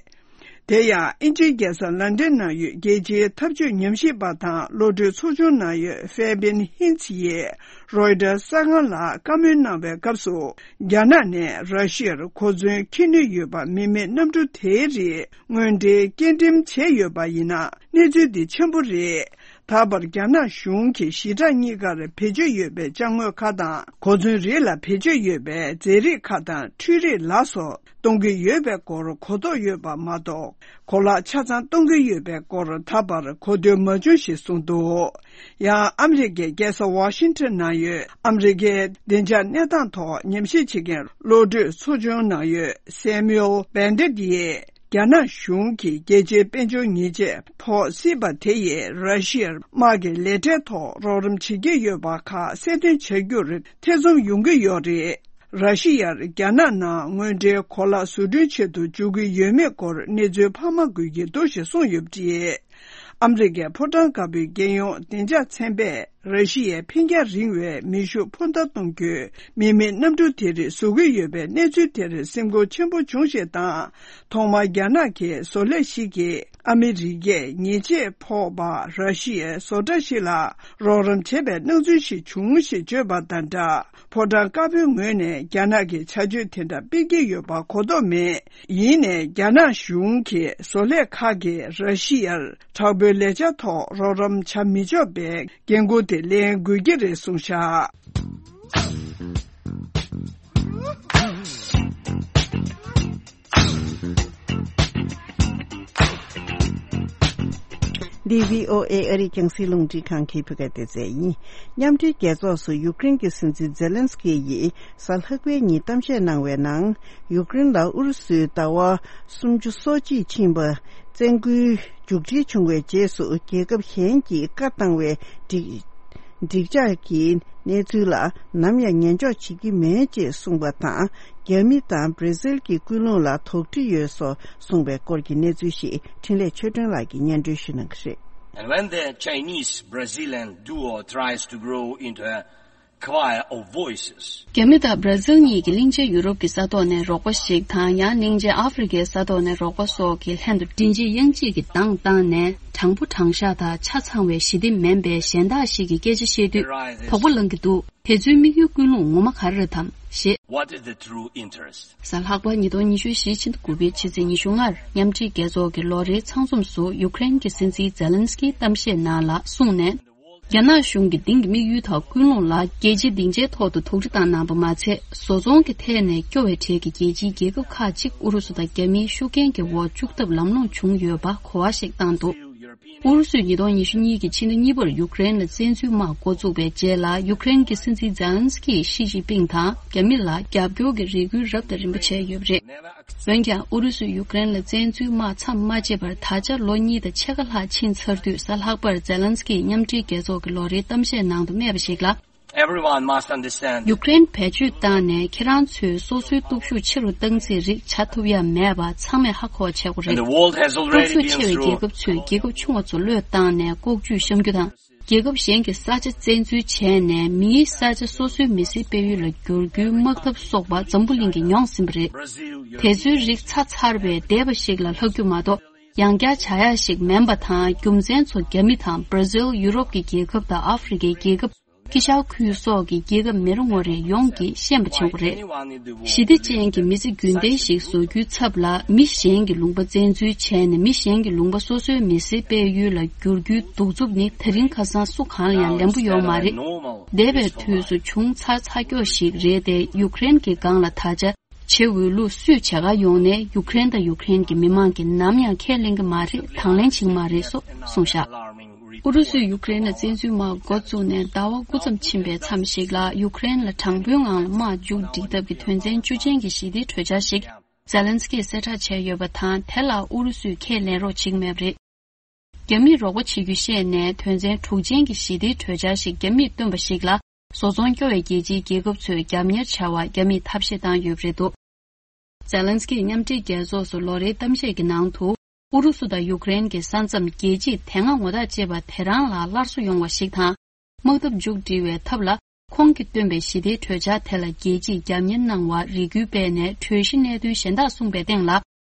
དེ་ཡང་ཨིན་ཇིའི་རྒྱལ་ས་ལན་ཀྲན་ནང་ཡོད་རྒྱལ་སྤྱིའི་འཐབ་ཇུས་ཉམས་ཞིབ་པ་དང་གློད་གྲོལ་ཚོགས་ཆུང་ནང་ཡོད་ཧྥེ་བིན་ཧིན་ཚི་ཡིས་རོའི་ཊར་གསར་ཁང་ལ་བཀའ་མོལ་གནང་བའི་སྐབས་སུ། རྒྱ་ནག་ནས་ར་ཤི་ཡར་གོ་མཚོན་འཁྱེར་ནུས་ཡོད་པ་མི་མེད་གནམ་གྲུ་དེའི་རིགས་དངོས་འབྲེལ་སྐྱེལ་འགྲེམས་བྱས་ཡོད་པ་ཡིན་ན། གནས་ཚུལ་འདི་ཆེན་པོ་རེད། ད་བར་རྒྱ་ནག་གཞུང་གིས་ཞི་དྲག་གཉིས་ཀར་བེད་སྤྱོད་ཡོད་པའི་ཅ་དངོས་ཁག་དང་། གོ་མཚོན་རིགས་ལ་བེད་སྤྱོད་ཡོད་པའི་རྫས་རིགས་ཁག་དང་འཕྲུལ་རིགས་ལ་སོགས་གཏོང་གི་ཡོད་པའི་སྐོར་གོ་རྟོགས་ཡོད་པ་མ་གཏོགས། གོ་ལག་ཆ་ཚང་གཏོང་གི་ཡོད་པའི་སྐོར་ད་བར་གོ་ཐོས་མ་བྱུང་ཞེས་གསུངས་འདུག། ཡང་ཨ་མི་རི་ཀའི་རྒྱལ་ས་ཝ་ཤིང་ཊོན་ནང་ཡོད་ཨ་མི་རི་ཀའི་བདེ་འཇགས་གནས་སྟངས་ཐོག་ཉམས་ཞིབ་བྱེད་མཁན་གློད་གྲོལ་ཚོགས་ཆུང་ནང་ཡོད་སེ་མིའུལ་བན་ཌེད་ཡིས། རྒྱ་ནག་གཞུང་གིས་རྒྱལ་སྤྱིའི་དཔལ་འབྱོར་ཉེས་ཆད་ཕོག་སྲིད་པ་དེ་ཡིས་ར་ཤི་ཡར་དམག་གི་ལས་གྲྭའི་ཐོག་རོགས་རམ་བྱེད་ཀྱི་ཡོད་པ་ཁག་གསལ་སྟོན་བྱ་རྒྱུར་ཐེ་ཚོམ་ཡོང་གི་ཡོད་རེད། ར་ཤི་ཡར་རྒྱ་ནག་ནང་དངོས་འབྲེལ་གོ་ལག་བཟོ་སྐྲུན་བྱེད་དུ་འཇུག་གི་ཡོད་མེད་སྐོར་གནས་ཚུལ་འཕར་མ་དགོས་ཀྱི་འདུག་ཞེས་གསུངས་ཡོད་པ་རེད། ཨ་མི་རི་ཀའི་ཕོ་བྲང་དཀར་པོའི་རྒྱལ་ཡོངས་བདེ་འཇགས་ཚན་པས། ར་ཤི་ཡའི་འཕེན་རྒྱང་རིང་བའི་མེ་ཤུགས་འཕུར་མདའ་གཏོང་རྒྱུའི་མི་མེད་གནམ་གྲུ་དེ་རིགས་བཟོ་གི་ཡོད་པའི་གནས་ཚུལ་དེར་སེམས་ཁུར་ཆེན་པོ་བྱུང་ཞེས་དང་། ཐོག་མར་རྒྱ་ནག་གི་བཟོ་ལས་ཤིག་གིས་ཨ་མི་རི་ཀས་ཉེས་ཆད་ཕོག་པ་ར་ཤི་ཡའི་བཟོ་གྲྭ་ཞིག་ལ་རོགས་རམ་བྱས་པའི་སྣང་ཚུལ་ཞིག་བྱུང་ཞེས་བརྗོད་པ་དང་སྦྲགས། ཕོ་བྲང་དཀར་པོའི་ངོས་ནས་རྒྱ་ནག་གིས་བྱ་སྤྱོད་དེ་འདྲ་སྤེལ་གྱི་ཡོད་པ་གོ་རྟོགས་མེད། ཡིན་ནའི་རྒྱ་ནག་གཞུང་གིས་བཟོ་ལས་ཁག་གིས་ར་ཤི་ཡར་དྲག་པོའི་ལས་འཆར་ཐོག་རོགས་རམ་བྱ་མི་ཆོག་པའི་འགན་འཁུར་དེ་ལེན་དགོས་ཀྱི་རེད་གསུངས་བཞག། འདི་བྷི་ཨོ་ཨེ་ཨ་རིའི་རྒྱང་སྲིང་རླུང་འཕྲིན་ཁང་གི་བོད་སྐད་སྡེ་ཚན་ཡིན། མཉམ་འབྲེལ་རྒྱལ་ཚོགས་སུ་ཡུཀ་རེན་གྱི་སྲིད་འཛིན་ཛེ་ལན་སི་ཀི་ཡིས་གཟའ་ལྷག་པའི་ཉིན་གཏམ་བཤད་གནང་བའི་ནང་། ཡུཀ་རེན་ལ་ཨུ་རུ་སུའི་ཟླ་བ་སུམ་ཅུ་སོ་གཅིག་ཕྱིན་པ་བཙན་སྐུལ་མཇུག་སྒྲིལ་བྱུང་བའི་རྗེས་སུ། རྒྱལ་ཁབ་གཞན་གྱིས་བཀའ་བཏང་བའི་སྒྲིག་སྒྲིག་འཇགས་ཀྱི་གནས་ཚུལ་ལ་ནམ་ཡང་ཉན་འཇོག་བྱེད་ཀྱི་མེད་ཅེས་གསུངས་པ་དང་། རྒྱ་མི་དང་བྷར་ཛིལ་གྱི་ཀུན་སློང་ལ་དོགས་འདྲི་ཡོད་སོགས་གསུངས་པའི་སྐོར་གྱི་གནས་ཚུལ་ཞིག་འཕྲིན་ལས་ཆོས་སྒྲོན་ལགས་ཀྱིས་སྙན་སྒྲོན་ཞུ་གནང་གི་རེད། And when the Chinese-Brazilian duo tries to grow into a choir of voices. རྒྱ་མི་དང་བྷ་ར་ཟིལ་གཉིས་ཀྱིས་གླིང་ཆེན་ཡུ་རོབ་ཀྱི་ས་ཐོག་ནས་རོགས་པ་ཞིག་དང་། ཡང་གླིང་ཆེན་ཨ་ཧྥེ་རི་ཁའི་ས་ཐོག་ནས་རོགས་པ་སོགས་ཀྱི་ལྷན་དུ་མགྲིན་གཅིག་དབྱངས་གཅིག་གིས་གདངས་བཏང་ནས། དྲང་པོ་དྲང་བཞག་དང་ཆ་ཚང་བའི་ཞི་བདེ་མིན་པའི་གཞན་དག་ཞིག་གི་སྐད་ཆ་བཤད་དུས་དོགས་པ་ལངས་ཀྱི་འདུག་དེ་ཚོའི་དམིགས་ཡུལ་ཀུན་སློང་ངོ་མ་ག་རེ་རེད་དམ་ཞེས། What is the true interest? གཟའ་ལྷག་པ་ཉིས་སྟོང་ཉི་ཤུ་བཞི་ཕྱི་ཟླ་དགུ་པའི་ཕྱི་ཚེས་ཉི་ཤུ་ལྔར་མཉམ་འབྲེལ་རྒྱལ་ཚོགས་ཀྱི་ལོ་རེའི་ཚང་འཛོམས་སུ་ཡུ་ཀེ་རེན་གྱི་སྲིད་འཛིན་ཛེ་ལན་སི་ཀིའི་གཏམ་བཤད་ནང་ལ་གསུངས་ནས། རྒྱ་ནག་གཞུང་གི་དེང་གི་དམིགས་ཡུལ་དང་ཀུན་སློང་ལ་རྒྱལ་སྤྱིའི་སྡིངས་ཆའི་ཐོག་ཏུ་དོགས་འདྲི་བཏང་གནང་པ་མ་ཚད། བཟོ་ཚོང་གི་ཐད་ནས་སྐྱོ་བའི་གྲས་ཀྱི་རྒྱལ་སྤྱིའི་རྒྱལ་ཁབ་ཁག་ཅིག་ཨུ་རུ་སུ་དང་རྒྱ་མིའི་ཤུགས་རྐྱེན་གྱི་འོག་བཅུག་ཐབས་ལམ་ལྷོང་བྱུང་ཡོད་པ་གོ་བ་ཞིག་བཏང་འདུག་ཨུ་རུ་སུས་ཉིས་སྟོང་ཉི་ཤུ་གཉིས་ཀྱི་ཕྱི་ཟླ་གཉིས་པར་ཡུ་ཀེ་རེན་ལ་བཙན་འཛུལ་དམག་འགོ་བཙུགས་པའི་རྗེས་ལ། ཡུ་ཀེ་རེན་གྱི་སྲིད་འཛིན་ཛེ་ལན་སི་ཀིས་ཞི་ཅིན་ཕིང་དང་རྒྱ་མི་ལ་རྒྱབ་སྐྱོར་གྱི་རེ་སྐུལ་རབ་དང་རིམ་པ་བྱས་ཡོད་པ་རེད། འོན་ཀྱང་། ཨུ་རུ་སུས་ཡུ་ཀེ་རེན་ལ་བཙན་འཛུལ་དམག་མཚམས་མ་བཅད་པར་ད་ཆ་ལོ་གཉིས་དང་ཕྱེད་ཀ་ལྷག་ཕྱིན་ཚར་དུས། གཟའ་ལྷག་པར་ཛེ་ལན་སི་ཀིས་མཉམ་འབྲེལ་རྒྱལ་ཚོགས་ཀྱི་ལོ་རེའི་གཏམ་བཤད་ནང་དུ་སྨྲས་པ་ཞིག་ལ། Everyone must understand. ཡུ་ཀེ་རེན་བེད་སྤྱོད་བཏང་ནས་ཁྱེད་རང་ཚོས་སོ་སོའི་སྟོབས་ཤུགས་ཆེ་རུ་བཏང་ཚེ་རིགས་བྱ་ཐུབ་ཡ་མེད་པ་ཚང་མས་ཧ་གོ་བ་བྱེད་དགོས་རེད། And the world has already སྟོབས་ཤུགས་ཆེ་བའི་རྒྱལ་ཁབ་ཚོས་རྒྱལ་ཁབ་ཆུང་བ་ཚོ་བློས་བཏང་ནས་ལྐོག་ཇུས་བཤམས་རྒྱུ་དང་། རྒྱལ་ཁབ་གཞན་གྱི་ས་ཆ་བཙན་འཛུལ་བྱས་ནས་མིའི་ས་ཆ་སོ་སོའི་མི་སེར་སྤེལ་ཡུལ་ལ་བསྒྱུར་རྒྱུའི་དམག་འཐབ་སོགས་པ་འཛམ་བུ་གླིང་གིས་མྱོང་ཟིན་པ་རེད། དེ་ཚོའི་རིགས་ཚར་ཚར་བའི་འདས་པ་ཞིག་ལ་ལྷག་རྒྱུ་མ་གཏོགས། ཡང་བསྐྱར་བྱ་ཡག་ཞིག་མིན་པ་དང་། རྒྱུ་མཚན་ཚོ་རྒྱ་མི་དང་། བྷ་ར་ཟིལ། ཡུ་རོབ་ཀྱི་རྒྱལ་ཁབ་དང་། ཨ་ཧྥེ་རི་ཁའི་རྒྱལ་ཁབ། དཀྱིལ་ཤར་ཁུལ་སོགས་ཀྱི་རྒྱལ་ཁབ་མི་རེ་ངོ་རེ་ཡོངས་ཀྱིས་ཤེས་པ་བྱེད་དགོས་རེད། ཞི་བདེ་ཅན་གྱི་མི་ཚེ་རྒྱུན་ལྡན་ཞིག་བཟོ་རྒྱུའི་ཚབ་ལ། མི་གཞན་གྱི་ལུང་པ་བཙན་འཛུལ་བྱས་ནས་མི་གཞན་གྱི་ལུང་པ་སོ་སོའི་མི་སེར་སྤེལ་ཡུལ་ལ་བསྒྱུར་རྒྱུའི་གདུག་རྩུབ་ནི་ད་རིང་ཁ་སང་སུ་གང་ལ་ཡང་ལེན་པོ་ཡོད་མ་རེད། འདས་པའི་དུས་སུ་བྱུང་ཚར་ཚར་ཀྱོག་ཞིག་རེད་དེ། ཡུ་ཀེ་རེན་གྱི་སྒང་ལ་ད་ཆ། བྱེད་འོས་ལུགས་སུས་བྱེད་ག་ཡོང་ནའི་ཡུ་ཀེ་རེན་དང་ཡུ་ཀེ་རེན་གྱི་མི་མང་གིས་ནམ་ཡང་ཁས་ལེན་གྱི་མ་རེད། དང་ལེན་བྱེད་ཀྱི་མ་རེད་སོགས་གསུངས་བཞག་ཨུ་རུ་སུས་ཡུ་ཀེ་རེན་ལ་བཙན་འཛུལ་དམག་འགོ་བཙུགས་ནས་ཟླ་བ་དགུ་ཙམ་ཕྱིན་པའི་མཚམས་ཤིག་ལ། ཡུ་ཀེ་རེན་ལ་དྲང་པོའི་ངང་ལ་དམག་མཇུག་སྒྲིལ་ཐབས་ཀྱི་དོན་ཚན་བཅུ་ཅན་གྱི་ཞི་བདེའི་གྲོས་འཆར་ཞིག་ཛེ་ལན་སི་ཀིས་གསལ་བསྒྲགས་བྱས་ཡོད་པ་དང་། དེ་ལ་ཨུ་རུ་སུས་ཁས་ལེན་རོགས་བྱེད་ཀྱི་མེད་པ་རེད། རྒྱ་མིས་རོགས་པ་བྱེད་རྒྱུ་བཤད་ནས། དོན་ཚན་དྲུག་ཅན་གྱི་ཞི་བདེའི་གྲོས་འཆར་ཞིག་རྒྱ་མིས་བཏོན་པ་ཞིག་ལ། བཟོ་ཚོང་སྐྱོ་བའི་རྒྱལ་སྤྱིའི་རྒྱལ་ཁབ་ཚོས་རྒྱབ་གཉེར་བྱ་བར་རྒྱ་མིས་ཐབས་ཤེས་བཏང་ཡོད་པ་རེད་འདུག་ཛེ་ལན་སི་ཀིས་མཉམ་འབྲེལ་རྒྱལ་ཚོགས་སུ་ལོ་རེའི་གཏམ་བཤད་ཀྱི་ནང་དུ། ཨུ་རུ་སུ་དང་ཡུ་ཀེ་རེན་གྱི་ས་མཚམས་རྒྱལ་སྤྱིས་དེ་སྔ་ངོ་ཐག་བཅད་པ་དེ་རང་ལ་སླར་གསོ་ཡོང་བ་ཞིག་དང་། དམག་འཐབ་མཇུག་སྒྲིལ་བའི་ཐབས་ལ། ཁོང་གིས་བཏོན་པའི་ཞི་བདེའི་གྲོས་འཆར་དེ་ལ་རྒྱལ་སྤྱིས་རྒྱབ་གཉེར་གནང་བར་རེ་སྐུལ་སྤེལ་ནས། གྲོས་གཞི་གནད་དོན་གཞན་དག་གསུངས་པའི་སྟེང་ལ།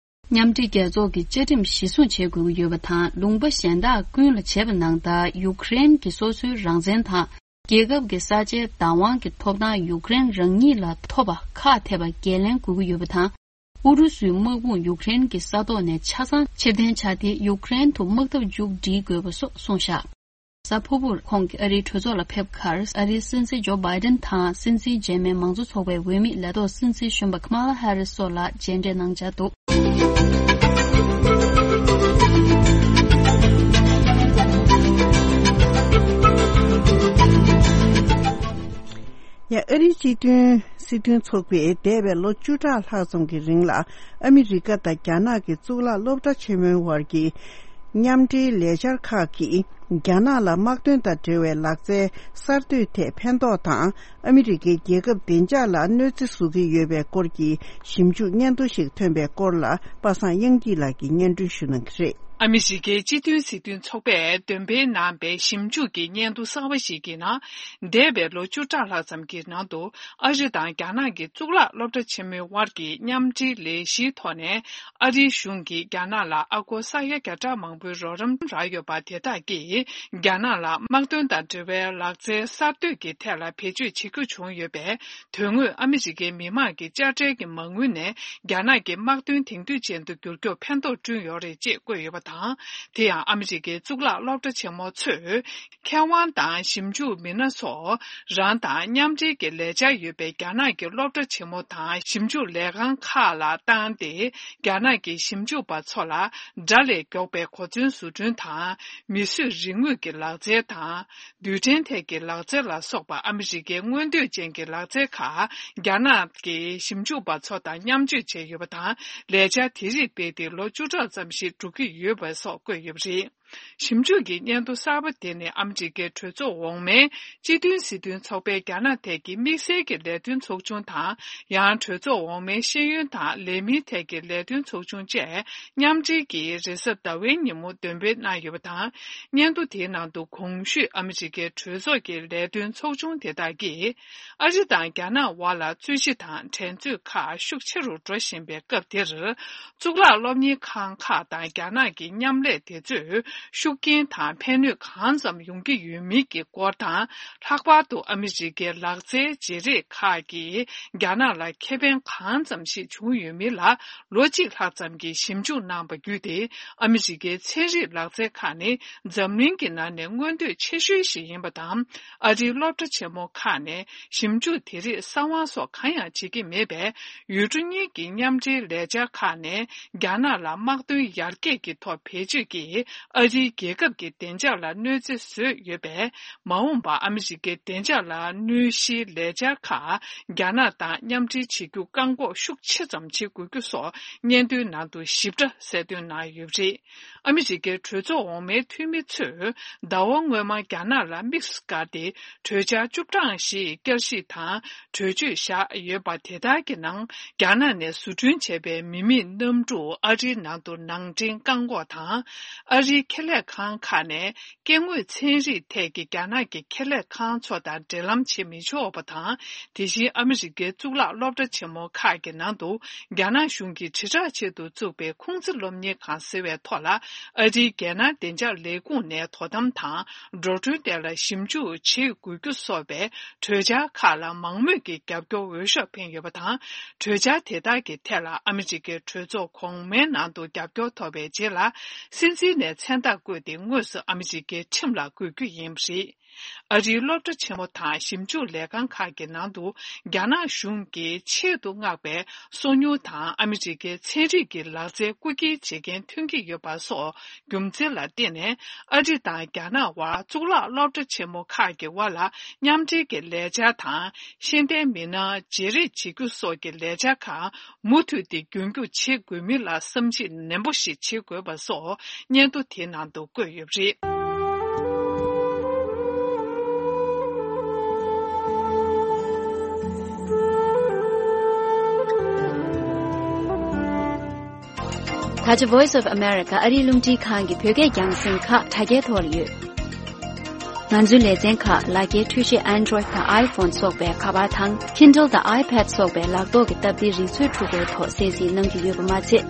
མཉམ་འབྲེལ་རྒྱལ་ཚོགས་ཀྱི་བཅའ་ཁྲིམས་གཞིར་བཟུང་བྱེད་དགོས་ཀྱི་ཡོད་པ་དང་། ལུང་པ་གཞན་དག་ཀུན་ལ་བྱས་པ་ནང་ལྟར། ཡུ་ཀེ་རེན་གྱི་སོ་སོའི་རང་བཙན་དང་། རྒྱལ་ཁབ་ཀྱི་ས་ཆའི་བདག་དབང་གི་ཐོབ་ཐང་ཡུ་ཀེ་རེན་རང་ཉིད་ལ་ཐོབ་པ་ཁག་ཐེག་པ་འགན་ལེན་དགོས་ཀྱི་ཡོད་པ་དང་། ཨུ་རུ་སུའི་དམག་དཔུང་ཡུ་ཀེ་རེན་གྱི་ས་ཐོག་ནས་ཆ་ཚང་ཕྱིར་འཐེན་བྱ་སྟེ། ཡུ་ཀེ་རེན་དུ་དམག་འཐབ་མཇུག་སྒྲིལ་དགོས་པ་སོགས་གསུངས་བཞག་གཟའ་ཕུར་བུར་ཁོང་གིས་ཨ་རིའི་གྲོས་ཚོགས་ལ་ཕེབས་ཁར། ཨ་རིའི་སྲིད་འཛིན་ཇོ་བྷའི་ཌེན་དང་། སྲིད་འཛིན་རྗེས་མའི་མང་གཙོ་ཚོགས་པའི་འོས་མི་ལས་ཐོག་སྲིད་འཛིན་གཞོན་པ་ཁ་མ་ལ་ཧེ་རི་སི་སོགས་ལ་མཇལ་འཕྲད་གནང་འཆར་འདུག་ཡ། ཨ་རིའི་སྤྱི་མཐུན་སྲིད་དོན་ཚོགས་པས་འདས་པའི་ལོ་བཅུ་ཕྲག་ལྷག་ཙམ་གྱི་རིང་ལ། ཨ་མི་རི་ཀ་དང་རྒྱ་ནག་གི་གཙུག་ལག་སློབ་གྲྭ་ཆེན་མོའི་དབར་གྱི་མཉམ་འབྲེལ་ལས་འཆར་ཁག་གིས། རྒྱ་ནག་ལ་དམག་དོན་དང་འབྲེལ་བའི་ལག་རྩལ་གསར་གཏོད་ཐད་ཕན་ཐོགས་དང་། ཨ་མི་རི་ཀའི་རྒྱལ་ཁབ་བདེ་འཇགས་ལ་གནོད་འཚེ་བཟོ་གི་ཡོད་པའི་སྐོར་གྱི་ཞིབ་འཇུག་སྙན་ཐོ་ཞིག་ཐོན་པའི་སྐོར་ལ། པ་སངས་དབྱངས་སྐྱིད་ལགས་ཀྱིས་སྙན་སྒྲོན་ཞུ་གནང་གི་རེད། ཨ་མི་རི་ཀའི་སྤྱི་མཐུན་སྲིད་དོན་ཚོགས་པས་འདོན་སྤེལ་གནང་པའི་ཞིབ་འཇུག་གི་སྙན་ཐོ་གསར་པ་ཞིག་གི་ནང་། འདས་པའི་ལོ་བཅུ་ཕྲག་ལྷག་ཙམ་གྱི་ནང་དུ། ཨ་རི་དང་རྒྱ་ནག་གི་གཙུག་ལག་སློབ་གྲྭ་ཆེན་མོའི་དབར་གྱི་མཉམ་འབྲེལ་ལས་གཞིའི་ཐོག་ནས། ཨ་རིའི་གཞུང་གིས་རྒྱ་ནག་ལ་ཨ་སྒོར་ས་ཡ་བརྒྱ་ཕྲག་མང་པོའི་རོགས་རམ་རག་ཡོད་པ་དེ་དག་གིས། རྒྱ་ནག་ལ་དམག་དོན་དང་འབྲེལ་བའི་ལག་རྩལ་གསར་གཏོད་ཀྱི་ཐད་ལ་བེད་སྤྱོད་བྱེད་རྒྱུ་བྱུང་ཡོད་པས། དོན་དངོས་ཨ་མི་རི་ཀའི་མི་དམངས་ཀྱི་དཔྱ་ཁྲལ་གྱི་མ་དངུལ་ནས། རྒྱ་ནག་གི་དམག་དོན་དེང་དུས་ཅན་དུ་འགྱུར་རྒྱུར་ཕན་ཐོགས་བསྐྲུན་ཡོད་རེད་ཅེས་བཀོད་ཡོད་པ་དང་། དེ་ཡང་ཨ་མི་རི་ཀའི་གཙུག་ལག་སློབ་གྲྭ་ཆེན་མོ་ཚོས། མཁས་དབང་དང་ཞིབ་འཇུག་མི་སྣ་སོགས་རང་དང་མཉམ་འབྲེལ་གྱི་ལས་འཆར་ཡོད་པའི་རྒྱ་ནག་གི་སློབ་གྲྭ་ཆེན་མོ་དང་ཞིབ་འཇུག་ལས་ཁང་ཁག་ལ་བཏང་སྟེ། རྒྱ་ནག་གི་ཞིབ་འཇུག་པ་ཚོ་ལ་དགྲ་ལས་མགྱོགས་པའི་གོ་མཚོན་བཟོ་སྐྲུན་དང་། མིས་བཟོས་རིག་དངོས་ཀྱི་ལག་རྩལ་དང་། རྡུལ་ཕྲན་ཐད་ཀྱི་ལག་རྩལ་ལ་སོགས་པ་ཨ་མི་རི་ཀའི་མངོན་འདོད་ཅན་གྱི་ལག་རྩལ་ཁག་རྒྱ་ནག་གི་ཞིབ་འཇུག་པ་ཚོ་དང་མཉམ་སྤྱོད་བྱས་ཡོད་པ་དང་། ལས་འཆར་དེ་རིགས་སྤེལ་ཏེ་ལོ་བཅུ་ཕྲག་ཙམ་ཞིག་འགྲོ་གི་ཡོད་པ་སོགས་བཀོད་ཡོད་པ་རེད། ཞིབ་འཇུག་གི་སྙན་ཐོ་གསར་པ་དེ་ནི་ཨ་མི་རི་ཀའི་གྲོས་ཚོགས་འོག་མའི་སྤྱི་མཐུན་སྲིད་དོན་ཚོགས་པའི་རྒྱ་ནག་ཐད་ཀྱི་དམིགས་བསལ་གྱི་ལས་དོན་ཚོགས་ཆུང་དང་། ཡང་གྲོས་ཚོགས་འོག་མའི་ཤེས་ཡོན་དང་ལས་མིའི་ཐད་ཀྱི་ལས་དོན་ཚོགས་ཆུང་བཅས་མཉམ་འབྲེལ་གྱིས་རེས་གཟའ་ཟླ་བའི་ཉིན་མོ་འདོན་སྤེལ་གནང་ཡོད་པ་དང་། སྙན་ཐོ་དེའི་ནང་དུ་གོང་ཞུས་ཨ་མི་རི་ཀའི་གྲོས་ཚོགས་ཀྱི་ལས་དོན་ཚོགས་ཆུང་དེ་དག་གིས། ཨ་རི་དང་རྒྱ་ནག་དབར་ལ་རྩོད་གཞི་དང་འགྲན་རྩོད་ཁག་ཤུགས་ཆེ་རུ་འགྲོ་བཞིན་པའི་སྐབས་དེར། གཙུག་ལག་སློབ་གཉེར་ཁང་ཁག་དང་རྒྱ་ནག་གི་མཉམ་ལས་དེ་ཚོས་ཤུགས་རྐྱེན་དང་ཕན་ནུས་གང་ཙམ་ཡོང་གི་ཡོད་མིན་གྱི་སྐོར་དང་། ལྷག་པར་དུ་ཨ་མི་རི་ཀའི་ལག་རྩལ་བརྗེ་རེས་ཁག་གིས་རྒྱ་ནག་ལ་ཁེ་ཕན་གང་ཙམ་ཞིག་བྱུང་ཡོད་མིན་ལ་ལོ་གཅིག་ལྷག་ཙམ་གྱི་ཞིབ་འཇུག་གནང་བ་བརྒྱུད་དེ། ཨ་མི་རི་ཀའི་ཚན་རིག་ལག་རྩལ་ཁག་ནི་འཛམ་གླིང་གི་ནང་ནས་མངོན་འདོད་ཆེ་ཤོས་ཤིག་ཡིན་པ་དང་། ཨ་རིའི་སློབ་གྲྭ་ཆེན་མོ་ཁག་ནས་ཞིབ་འཇུག་དེ་རིགས་གསང་བ་སོགས་གང་ཡང་བྱེད་ཀྱི་མེད་པས། ཡུལ་གྲུ་གཉིས་ཀྱི་མཉམ་འབྲེལ་ལས་འཆར་ཁག་ནས་རྒྱ་ནག་ལ་དམག་དོན་ཡར་རྒྱས་ཀྱི་ཐོག་བེད་སྤྱོད་ཀྱིས་ཨ་རིའི་རྒྱལ་ཁབ་ཀྱི་བདེ་འཇགས་ལ་གནོད་འཚེ་བཟོས་ཡོད་པས། མ་འོངས་པར་ཨ་མི་རི་ཀའི་བདེ་འཇགས་ལ་གནོད་གཞིའི་ལས་འཆར་ཁག་རྒྱ་ནག་དང་མཉམ་འབྲེལ་བྱེད་རྒྱུ་བཀག་འགོག་ཤུགས་ཆེ་ཙམ་བྱེད་དགོས་རྒྱུ་སོགས་སྙན་ཐོའི་ནང་དུ་ཞིབ་ཕྲ་གསལ་སྟོན་གནང་ཡོད་པ་རེད། ཨ་མི་རི་ཀའི་གྲོས་ཚོགས་འོག་མའི་འཐུས་མི་ཚོས་ཟླ་བ་སྔོན་མ་རྒྱ་ནག་ལ་དམིགས་སུ་བཀར་ཏེ། གྲོས་འཆར་བཅུ་གྲངས་ཤིག་བསྐྱར་ཞིབ་དང་གྲོས་ཆོད་བཞག་ཡོད་པ། དེ་དག་གི་ནང་རྒྱ་ནག་ནས་བཟོ་སྐྲུན་བྱས་པའི་མི་མེད་གནམ་གྲུ་ཨ་རིའི་ནང་དུ་ནང་འདྲེན་བཀག་འགོག་དང་། ཨ་རིའི་ཁེ་ལས་ཁང་ཁག་ནས་སྐྱེ་དངོས་ཚན་རིག་ཐད་ཀྱི་རྒྱ་ནག་གི་ཁེ་ལས་ཁང་ཚོ་དང་འབྲེལ་ལམ་བྱེད་མི་ཆོག་པ་དང་། དེ་བཞིན་ཨ་མི་རི་ཀའི་གཙུག་ལག་སློབ་གྲྭ་ཆེན་མོ་ཁག་གི་ནང་དུ་རྒྱ་ནག་གཞུང་གིས་དྲིལ་བསྒྲགས་ཆེད་དུ་བཙུགས་པའི་ཁུང་ཙི་སློབ་གཉེར་ཁང་ཟེར་བའི་ཐོག་ལ། ཨ་རིའི་རྒྱལ་ནང་བདེ་འཇགས་ལས་ཁུངས་ནས་དོ་དམ་དང་། འགྲོ་གྲོན་ཐད་ལ་ཞིབ་འཇུག་བྱེད་དགོས་རྒྱུ་སོགས་པའི་གྲོས་འཆར་ཁག་ལ་མང་མོས་ཀྱིས་རྒྱབ་སྐྱོར་འོས་ཤོག་འཕེན་ཡོད་པ་དང་། གྲོས་འཆར་དེ་དག་གི་ཐད་ལ་ཨ་མི་རི་ཀའི་གྲོས་ཚོགས་གོང་མའི་ནང་དུ་རྒྱབ་སྐྱོར་ཐོབ་པའི་རྗེས་ལ། སྲིད་འཛིན་ནས་མཚན་རྟགས་བཀོད་དེ་དངོས་སུ་ཨ་མི་རི་ཀའི་ཁྲིམས་ལ་འགོད་རྒྱུ་ཡིན་པ་རེད། ཨ་རིའི་སློབ་གྲྭ་ཆེན་མོ་དང་ཞིབ་འཇུག་ལས་ཁང་ཁག་གི་ནང་དུ་རྒྱ་ནག་གཞུང་གིས་ཆེད་དུ་མངགས་པའི་སོ་ཉུལ་དང་ཨ་མི་རི་ཀའི་ཚན་རིག་གི་ལག་རྩལ་རྐུ་འཁྱེར་བྱེད་མཁན་ཐོན་གྱི་ཡོད་པ་སོགས་རྒྱུ་མཚན་ལ་བརྟེན་ནས། ཨ་རི་དང་རྒྱ་ནག་དབར་གཙུག་ལག་སློབ་གྲྭ་ཆེན་མོ་ཁག་གི་དབར་ལ་མཉམ་འབྲེལ་གྱི་ལས་འཆར་དང་། ཤེས་ལྡན་མི་སྣ་བརྗེ་རེས་བྱེད་རྒྱུ་སོགས་ཀྱི་ལས་འཆར་ཁག་མུ་མཐུད་དེ་རྒྱུན་སྐྱོང་བྱེད་དགོས་མིན་ལ་བསམ་གཞིག་ནན་པོ་ཞིག་བྱེད་དགོས་པ་སོགས་སྙན་ཐོ་དེའི་ནང་དུ་བཀོད་ཡོད་པ་རེད། ད་ཆ་Voice of America ཨ་རིའི་རླུང་འཕྲིན་ཁང་གི་བོད་སྐད་རྒྱང་སྲིང་ཁག་དྲ་རྒྱའི་ཐོག་ལ་ཡོད། ང་ཚོའི་ལེ་ཚན་ཁག་ལག་འཁྱེར་འཕྲུལ་ཆས་Android་དང་iPhone་སོགས་པའི་ཁ་པར་དང་Kindle་དང་iPad་སོགས་པའི་ལག་ཐོག་གི་སྟབས་བདེའི་རིག་མཛོད་འཕྲུལ་འཁོར་ཐོག་གསན་གཟིགས་གནང་རྒྱུ་ཡོད་པ་མ་ཚད།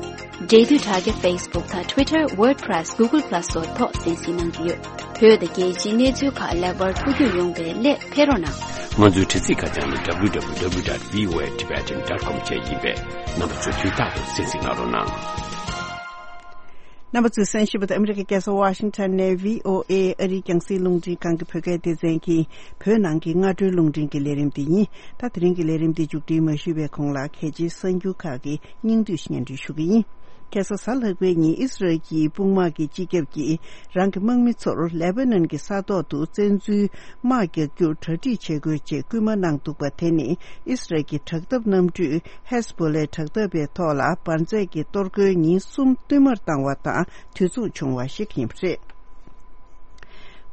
འབྲེལ་མཐུད་དྲ་རྒྱ་Facebook་དང་Twitter, WordPress, Google Plus་སོགས་ཐོག་གསན་གཟིགས་གནང་རྒྱུ་ཡོད། བོད་དང་རྒྱལ་སྤྱིའི་གནས་ཚུལ་ཁག་ལེགས་པར་ཐུགས་རྒྱུས་ཡོང་བའི་སླད་ཕེབས་རོགས་གནང་། ང་ཚོའི་དྲ་ཚིགས་ཁ་བྱང་ནི་www dot voatibetan dot com་བཅས་ཡིན་པས། རྣམ་པ་ཚོས་དུས་རྟག་ཏུ་གསན་གཟིགས་གནང་རོགས་གནང་། རྣམ་པ་ཚོས་གསན་བཞིན་པ་དེ་ཨ་མི་རི་ཀའི་རྒྱལ་ས་ཝ་ཤིང་ཊོན་ནས་བྷི་ཨོ་ཨེ་ཨ་རིའི་རྒྱང་སྲིང་རླུང་འཕྲིན་ཁང་གི་བོད་སྐད་སྡེ་ཚན་གྱི་བོད་ནང་གི་སྔ་དྲོའི་རླུང་འཕྲིན་གྱི་ལས་རིམ་དེ་ཡིན། ད་དེ་རིང་གི་ལས་རིམ་དེ་མཇུག་སྒྲིལ་མ་ཞུས་པའི་གོང་ལ་གལ་ཆེའི་གསར་འགྱུར་ཁག་གི་སྙིང་བསྡུས་སྙན་སྒྲོན་ཞུ་གི་ཡིན། ཁ་སང་གཟའ་ལྷག་པའི་ཉིན་ཨི་སི་རལ་གྱི་དཔུང་དམག་གི་སྤྱི་ཁྱབ་ཀྱིས་རང་གི་དམག་མི་ཚོར་ལེ་པ་ནན་གྱི་ས་ཐོག་ཏུ་བཙན་འཛུལ་དམག་རྒྱག་རྒྱུར་གྲ་སྒྲིག་བྱེད་དགོས་ཅེས་སྐུལ་མ་གནང་འདུག་པ། དེ་ནི་ཨི་སི་རལ་གྱི་དྲག་འཐབ་གནམ་གྲུས་ཧེ་ཟ་བྷོ་ལའི་དྲག་འཐབ་པའི་ཐོག་ལ་འབར་རྫས་ཀྱི་གཏོར་རྒོལ་ཉིན་གསུམ་བསྟུད་མར་བཏང་བ་དང་དུས་མཚུངས་བྱུང་བ་ཞིག་ཡིན་པ་རེད།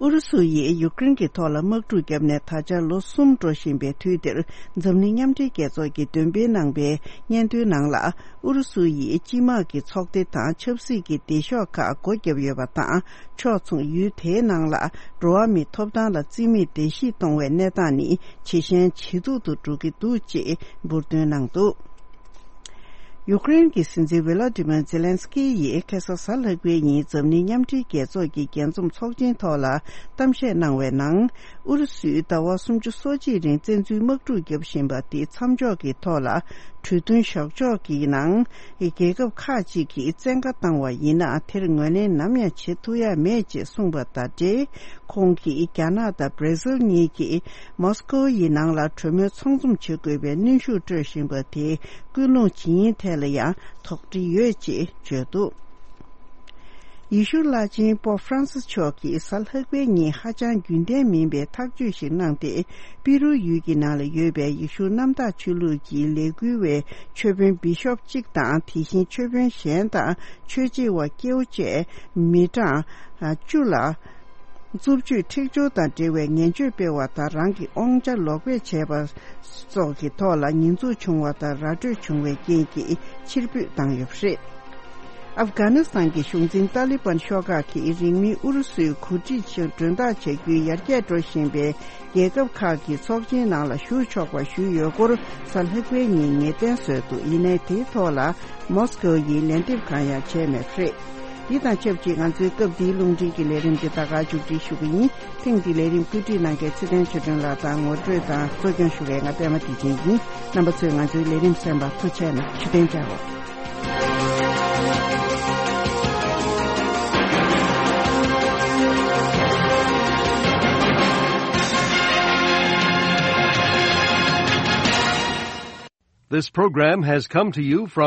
ཨུ་རུ་སུ་ཡིས་ཡུཀ་རེན་གྱི་ཐོག་ལ་དམག་འཁྲུག་བརྒྱབ་ནས་ད་ཆ་ལོ་གསུམ་འགྲོ་བཞིན་པའི་དུས་འདིར། འཛམ་གླིང་མཉམ་འབྲེལ་རྒྱལ་ཚོགས་ཀྱིས་འདོན་སྤེལ་གནང་པའི་སྙན་ཐོའི་ནང་ལ། ཨུ་རུ་སུ་ཡིས་སྤྱི་དམངས་ཀྱི་ཚོགས་སྡེ་དང་ཆབ་སྲིད་ཀྱི་སྡེ་ཤོག་ཁག་སྒོ་བརྒྱབ་ཡོད་པ་དང་། ཕྱོགས་མཚུངས་ཡུལ་དེའི་ནང་ལ་འགྲོ་བ་མིའི་ཐོབ་ཐང་ལ་རྩིས་མེད་བརྡལ་བཤིག་གཏོང་བའི་གནས་སྟངས་ནི་ཇེ་ཞན་ཇེ་སྡུག་ཏུ་འགྲོ་གི་འདུག་ཅེས་འབུར་འདོན་གནང་འདུག་ཡུཀ་རེན་གྱི་སྲིད་འཛིན་ཝི་ལ་ཏི་མར་ཛེ་ལན་སི་ཀི་ཡིས་ཁ་སང་གཟའ་ལྷག་པའི་ཉིན་འཛམ་གླིང་མཉམ་འབྲེལ་རྒྱལ་ཚོགས་ཀྱི་རྒྱས་འཛོམས་ཚོགས་ཆེན་ཐོག་ལ་གཏམ་བཤད་གནང་བའི་ནང་། ཨུ་རུ་སུས་ཟླ་བ་སུམ་ཅུ་སོ་གཅིག་རིང་བཙན་འཛུལ་དམག་འཁྲུག་བརྒྱབ་བཞིན་པ་དེ་མཚམས་འཇོག་གི་ཐོག་ལ་གྲོས་མཐུན་བཞག་ཕྱོགས་ཀྱི་ནང་རྒྱལ་ཁབ་ཁག་ཅིག་གིས་བཙན་བཀའ་བཏང་བ་ཡིན་ན། དེར་ངོས་ལེན་ནམ་ཡང་བྱེད་ཐུབ་ཡ་མེད་ཅེས་གསུངས་པ་དང་འབྲེལ། ཁོང་གིས་རྒྱ་ནག་དང་བྷར་ཛིལ་གཉིས་ཀྱིས་མོ་སི་ཀོ་ཡི་ནང་ལ་གྲོས་མོལ་ཚང་འཛོམས་བྱེད་དགོས་པའི་གནོན་ཤུགས་སྤྲོད་བཞིན་པ་དེ་ཀུན་སློང་ཇི་ཡིན་ཐད་ལ་ཡང་དོགས་འདྲི་ཡོད་ཅེས་བརྗོད་འདུག་ཡེ་ཤུ་བླ་ཆེན་པོབ་ཧྥ་རན་སིས་མཆོག་གིས་གཟའ་ལྷག་པའི་ཉིན་ཧ་ཅང་རྒྱུན་ལྡན་མིན་པའི་ཐག་གཅོད་ཞིག་གནང་སྟེ། པི་རུ་ཡུལ་གྱི་ནང་ལ་ཡོད་པའི་ཡེ་ཤུ་གནམ་བདག་ཆོས་ལུགས་ཀྱི་ལས་འགུལ་བའི་ཆོས་དཔོན་བི་ཤོབ་གཅིག་དང་། དེ་བཞིན་ཆོས་དཔོན་གཞན་དང་ཆོས་བྱེད་པ་སྐྱེ་བོ་བཅས་མི་གྲངས་བཅུ་ལ། རྩུབ་སྤྱོད་འཁྲིག་སྦྱོར་དང་འབྲེལ་བའི་ངན་སྤྱོད་སྤེལ་བ་དང་། རང་གི་དབང་ཆ་ལོག་སྤེལ་བྱས་པ་སོགས་ཀྱི་ཐོག་ལ་ཉེས་འཛུགས་བྱུང་བ་དང་ར་སྤྲོད་བྱུང་བའི་རྐྱེན་གྱིས་ཕྱིར་འབུད་བཏང་ཡོད་པ་རེད། ཨབ་གྷ་ནི་སི་ཐན་གྱི་གཞུང་འཛིན་ཏཱ་ལི་བན་ཤོག་ཁག་གིས་རིང་མིན་ཨུ་རུ་སུའི་གོ་སྒྲིག་ཞིག་མགྲོན་བདག་བྱ་རྒྱུའི་ཡར་རྒྱས་འགྲོ་བཞིན་པའི་རྒྱལ་ཁབ་ཁག་གི་ཚོགས་ཆེན་ནང་ལ་ཞུགས་ཆོག་པ་ཞུས་ཡོད་སྐོར། གཟའ་ལྷག་པའི་ཉིན་ངེས་གཏན་བཟོས་འདུག་ཡིན་ནའི་དེའི་ཐོག་ལ་མོ་སི་ཀོ་ཡིས་ལན་འདེབས་གང་ཡང་བྱས་མེད་པ་རེད། འདི་དང་ཆབས་ཅིག་ང་ཚོའི་སྐབས་འདིའི་རླུང་འཕྲིན་གྱི་ལས་རིམ་འདི་ད་ག་མཇུག་སྒྲིལ་ཞུ་གི་ཡིན། ཐེངས་འདིའི་ལས་རིམ་བཀོད་སྒྲིག་གནང་མཁན་ཚེ་བརྟན་ཆོས་སྒྲོན་ལགས་དང་། ངོ་སྤྲོད་དང་གཙོ་སྐྱོང་ཞུ་མཁན་ང་པད་མ་བདེ་ཆེན་ཡིན། རྣམ་པ་ཚོས་ང་ཚོའི་ལས་རིམ་གསན་པར་ཐུགས་རྗེ་གནང་། ཞུ་རྟེན་བཅའ་འོ། This program has come to you from